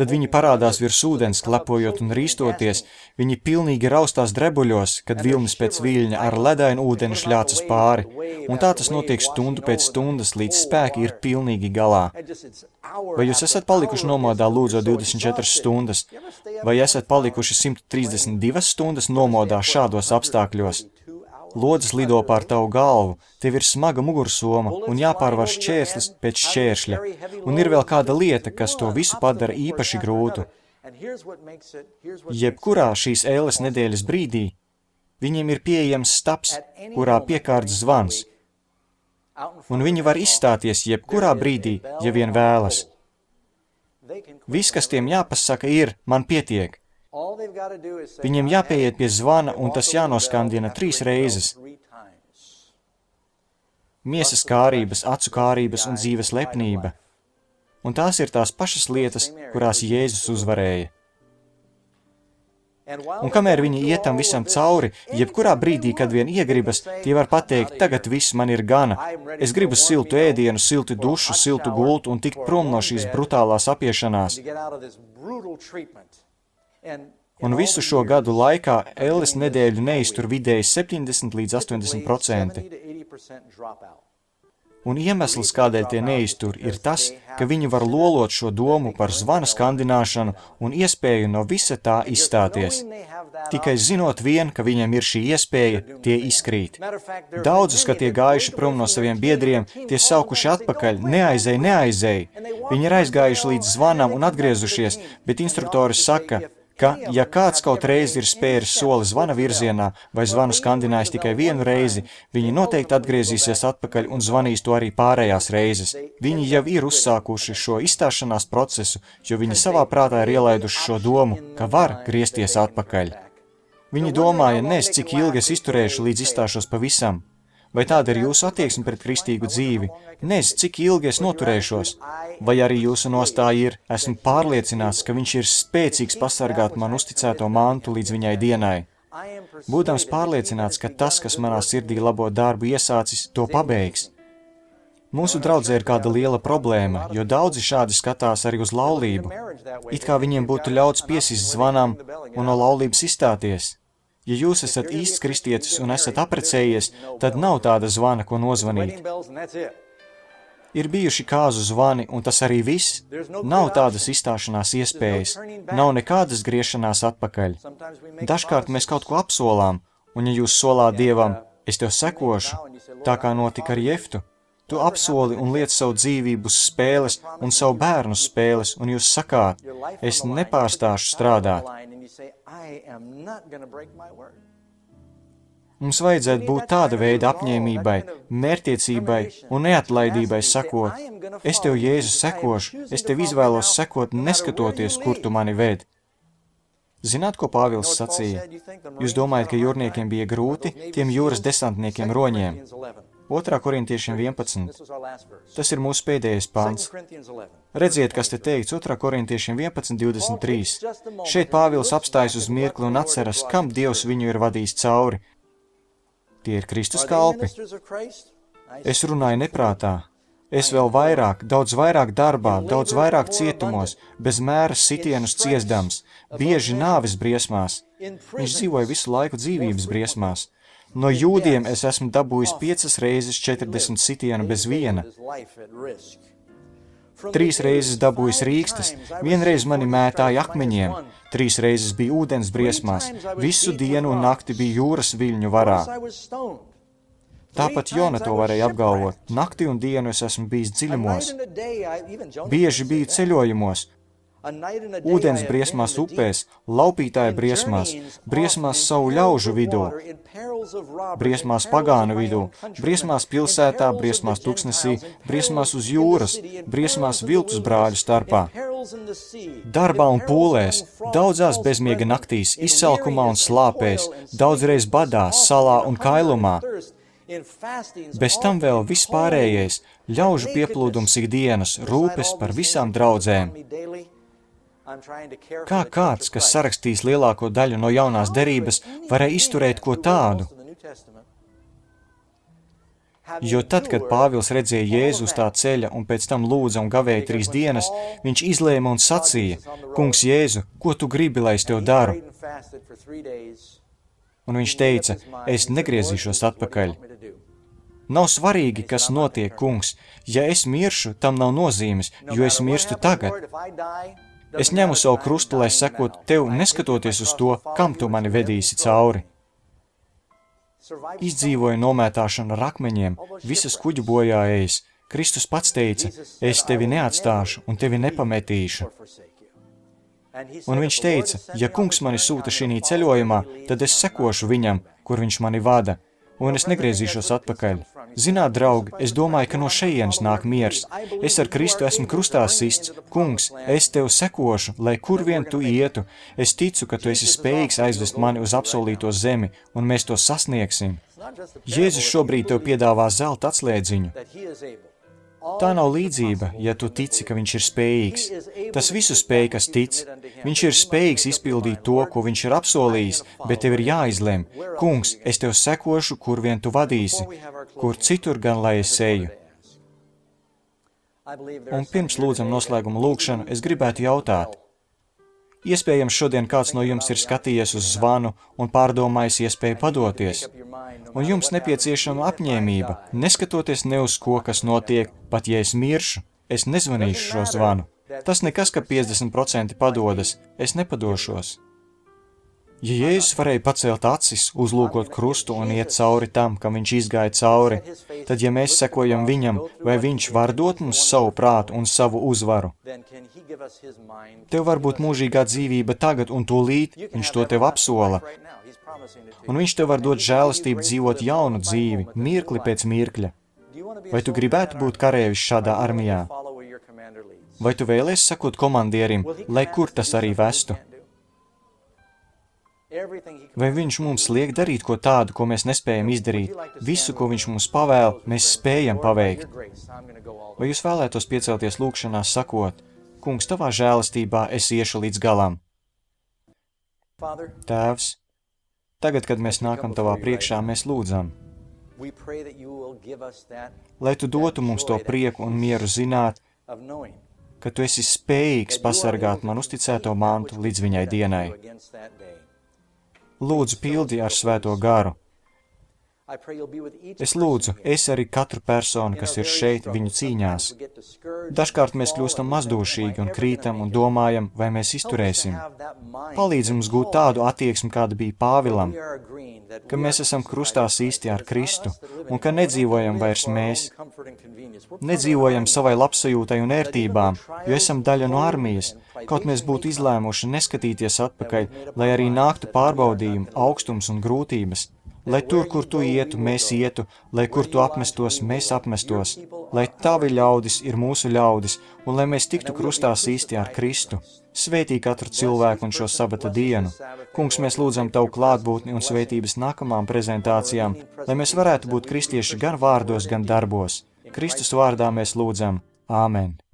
Tad viņi parādās virs ūdens, klepojot un rīstoties, viņi pilnīgi raustās drebuļos, kad vilnis pēc viļņa ar ledainu ūdeni šļācas pāri, un tā tas notiek stundu pēc stundas, līdz spēki ir pilnīgi galā. Vai jūs esat palikuši nomodā lūdzot 24 stundas, vai esat palikuši 132 stundas nomodā šādos apstākļos? Lodzes lido pār tavu galvu, tev ir smaga mugursoma un jāpārvar šķērslis pēc šķēršļa, un ir vēl kāda lieta, kas to visu padara īpaši grūtu. Jebkurā šīs Elles nedēļas brīdī viņiem ir pieejams stabs, kurā piekārts zvans, un viņi var izstāties jebkurā brīdī, ja vien vēlas. Viss, kas tiem jāpasaka, ir, man pietiek. Viņiem jāpieiet pie zvana, un tas jānoskandina 3 reizes. Miesas kārības, acu kārības un dzīves lepnība. Un tās ir tās pašas lietas, kurās Jēzus uzvarēja. Un kamēr viņi iet tam visam cauri, jebkurā brīdī, kad vien iegribas, tie var pateikt, tagad viss man ir gana. Es gribu siltu ēdienu, siltu dušu, siltu gultu un tikt prom no šīs brutālās apiešanās. Un visu šo gadu laikā Elles nedēļu neiztur vidēji 70 līdz 80%. Un iemesls, kādēļ tie neiztur, ir tas, ka viņi var lolot šo domu par zvana skandināšanu un iespēju no visa tā izstāties. Tikai zinot vien, ka viņiem ir šī iespēja, tie izkrīt. Daudzus, kad tie gājuši prom no saviem biedriem, tie saukuši atpakaļ, neaizej. Viņi ir aizgājuši līdz zvanam un atgriezušies, bet instruktoris saka, ka, ja kāds kaut reizi ir spēris soli zvana virzienā vai zvanu skandinājis tikai vienu reizi, viņi noteikti atgriezīsies atpakaļ un zvanīs to arī pārējās reizes. Viņi jau ir uzsākuši šo izstāšanās procesu, jo viņi savā prātā ir ielaiduši šo domu, ka var griezties atpakaļ. Viņi domāja, cik ilgi es izturēšu, līdz izstāšos pavisam. Vai tāda ir jūsu attieksme pret kristīgu dzīvi? Cik ilgi es noturēšos? Vai arī jūsu nostāja ir, esmu pārliecināts, ka viņš ir spēcīgs pasargāt man uzticēto mantu līdz viņai dienai? Būdams pārliecināts, ka tas, kas manā sirdī labo darbu iesācis, to pabeigs. Mūsu draudzē ir kāda liela problēma, jo daudzi šādi skatās arī uz laulību. It kā viņiem būtu ļauts piesist zvanam un no laulības izstāties. Ja jūs esat īsts kristietis un esat aprecējies, tad nav tāda zvana, ko nozvanīt. Ir bijuši kāzu zvani, un tas arī viss. Nav tādas izstāšanās iespējas, nav nekādas griešanās atpakaļ. Dažkārt mēs kaut ko apsolām, un ja jūs solāt Dievam, Es tev sekošu, tā kā notika ar Jeftu. Tu apsoli un liec savu dzīvību uz spēles un savu bērnu uz spēles, un jūs sakāt, es nepārstāšu strādāt. Mums vajadzētu būt tāda veida apņēmībai, mērķtiecībai un neatlaidībai sakot, es tev, Jēzu, sekošu, es tev izvēlos sekot, neskatoties, kur tu mani ved. Zināt, ko Pāvils sacīja? Jūs domājat, ka jūrniekiem bija grūti, tiem jūras desantniekiem roņiem? 2. Korintiešiem 11. Tas ir mūsu pēdējais pants. Redziet, kas te teikts 2. Korintiešiem 11:23. Šeit Pāvils apstājas uz mirkli un atceras, kam Dievs viņu ir vadījis cauri. Tie ir Kristus kalpi. Es runāju neprātā. Es vēl vairāk, daudz vairāk darbā, daudz vairāk cietumos, bez mēra sitienus ciesdams, bieži nāves briesmās. Viņš dzīvoja visu laiku dzīvības briesmās. No jūdiem es esmu dabūjis 5 reizes 40 sitienu bez viena. 3 reizes dabūjis rīkstas, 1 reiz mani mētāja akmeņiem, 3 reizes bija ūdens briesmās, visu dienu un nakti bija jūras viļņu varā. Tāpat Jona to varēja apgalvot. Nakti un dienu es esmu bijis dziļumos. Bieži biju ceļojumos, ūdens briesmās upēs, laupītāja briesmās savu ļaužu vidū, briesmās pagānu vidū, briesmās pilsētā, briesmās tuksnesī, briesmās uz jūras, briesmās viltus brāļu starpā. Darbā un pūlēs, daudzās bezmiega naktīs, izsalkumā un slāpēs, daudzreiz badā, salā un kailumā. Bez tam vēl vispārējais, ļaužu pieplūdums ikdienas, rūpes par visām draudzēm. Kā kāds, kas sarakstīs lielāko daļu no jaunās derības, varēja izturēt ko tādu? Jo tad, kad Pāvils redzēja Jēzu uz tā ceļa un pēc tam lūdza un gavēja 3 dienas, viņš izlēma un sacīja, Kungs Jēzu, ko tu gribi, lai es tev daru? Un viņš teica, es negriezīšos atpakaļ. Nav svarīgi, kas notiek, kungs. Ja es miršu, tam nav nozīmes, jo es mirstu tagad. Es ņemu savu krustu, lai sekotu tev, neskatoties uz to, kam tu mani vedīsi cauri. Izdzīvoja nomētāšanu ar akmeņiem, visas kuģu bojājējas. Kristus pats teica, es tevi neatstāšu un tevi nepametīšu. Un viņš teica, ja kungs mani sūta šī ceļojumā, tad es sekošu viņam, kur viņš mani vada, un es negriezīšos atpakaļ. Zināt, draugi, es domāju, ka no šejienes nāk miers. Es ar Kristu esmu krustā sists. Kungs, es tev sekošu, lai kur vien tu ietu. Es ticu, ka tu esi spējīgs aizvest mani uz apsolīto zemi, un mēs to sasniegsim. Jēzus šobrīd tev piedāvā zelta atslēdziņu. Tā nav līdzība, ja tu tici, ka viņš ir spējīgs. Tas visu spēj, kas tic. Viņš ir spējīgs izpildīt to, ko viņš ir apsolījis, bet tev ir jāizlem. Kungs, es tev sekošu, kur vien tu vadīsi, kur citur gan lai es eju. Un pirms lūdzam noslēguma lūgšanu, es gribētu jautāt. Iespējams, šodien kāds no jums ir skatījies uz zvanu un pārdomājis iespēju padoties. Un jums nepieciešama apņēmība, neskatoties ne uz ko, kas notiek, pat ja es miršu, es nezvanīšu šo zvanu. Tas nekas, ka 50% padodas, es nepadošos. Ja Jēzus varēja pacelt acis, uzlūkot krustu un iet cauri tam, kam viņš izgāja cauri, tad, ja mēs sekojam viņam, vai viņš var dot mums savu prātu un savu uzvaru? Tev var būt mūžīgā dzīvība tagad un tūlīt, viņš to tev apsola. Un viņš tev var dot žēlastību dzīvot jaunu dzīvi, mirkli pēc mirkļa. Vai tu gribētu būt karēvis šādā armijā? Vai tu vēlies sekot komandierim, lai kur tas arī vestu? Vai viņš mums liek darīt ko tādu, ko mēs nespējam izdarīt? Visu, ko viņš mums pavēl, mēs spējam paveikt. Vai jūs vēlētos piecelties lūgšanās sakot, Kungs, tavā žēlastībā es iešu līdz galam? Tēvs, tagad, kad mēs nākam tavā priekšā, mēs lūdzam, lai tu dotu mums to prieku un mieru zināt, ka tu esi spējīgs pasargāt man uzticēto mantu līdz viņai dienai. Lūdzu, pildi ar svēto garu. Es lūdzu, esi arī katru personu, kas ir šeit viņu cīņās. Dažkārt mēs kļūstam mazdošīgi un krītam un domājam, vai mēs izturēsim. Palīdz mums gūt tādu attieksmi, kāda bija Pāvilam, ka mēs esam krustā īsti ar Kristu un ka nedzīvojam vairs mēs. Nedzīvojam savai labsajūtai un ērtībām, jo esam daļa no armijas, kaut mēs būtu izlēmuši neskatīties atpakaļ, lai arī nāktu pārbaudījumi, augstums un grūtības. Lai tur, kur tu ietu, mēs ietu, lai kur tu apmestos, mēs apmestos, lai tavi ļaudis ir mūsu ļaudis, un lai mēs tiktu krustā īsti ar Kristu. Svētī katru cilvēku un šo sabata dienu. Kungs, mēs lūdzam Tavu klātbūtni un svētības nākamām prezentācijām, lai mēs varētu būt kristieši gan vārdos, gan darbos. Kristus vārdā mēs lūdzam. Āmen.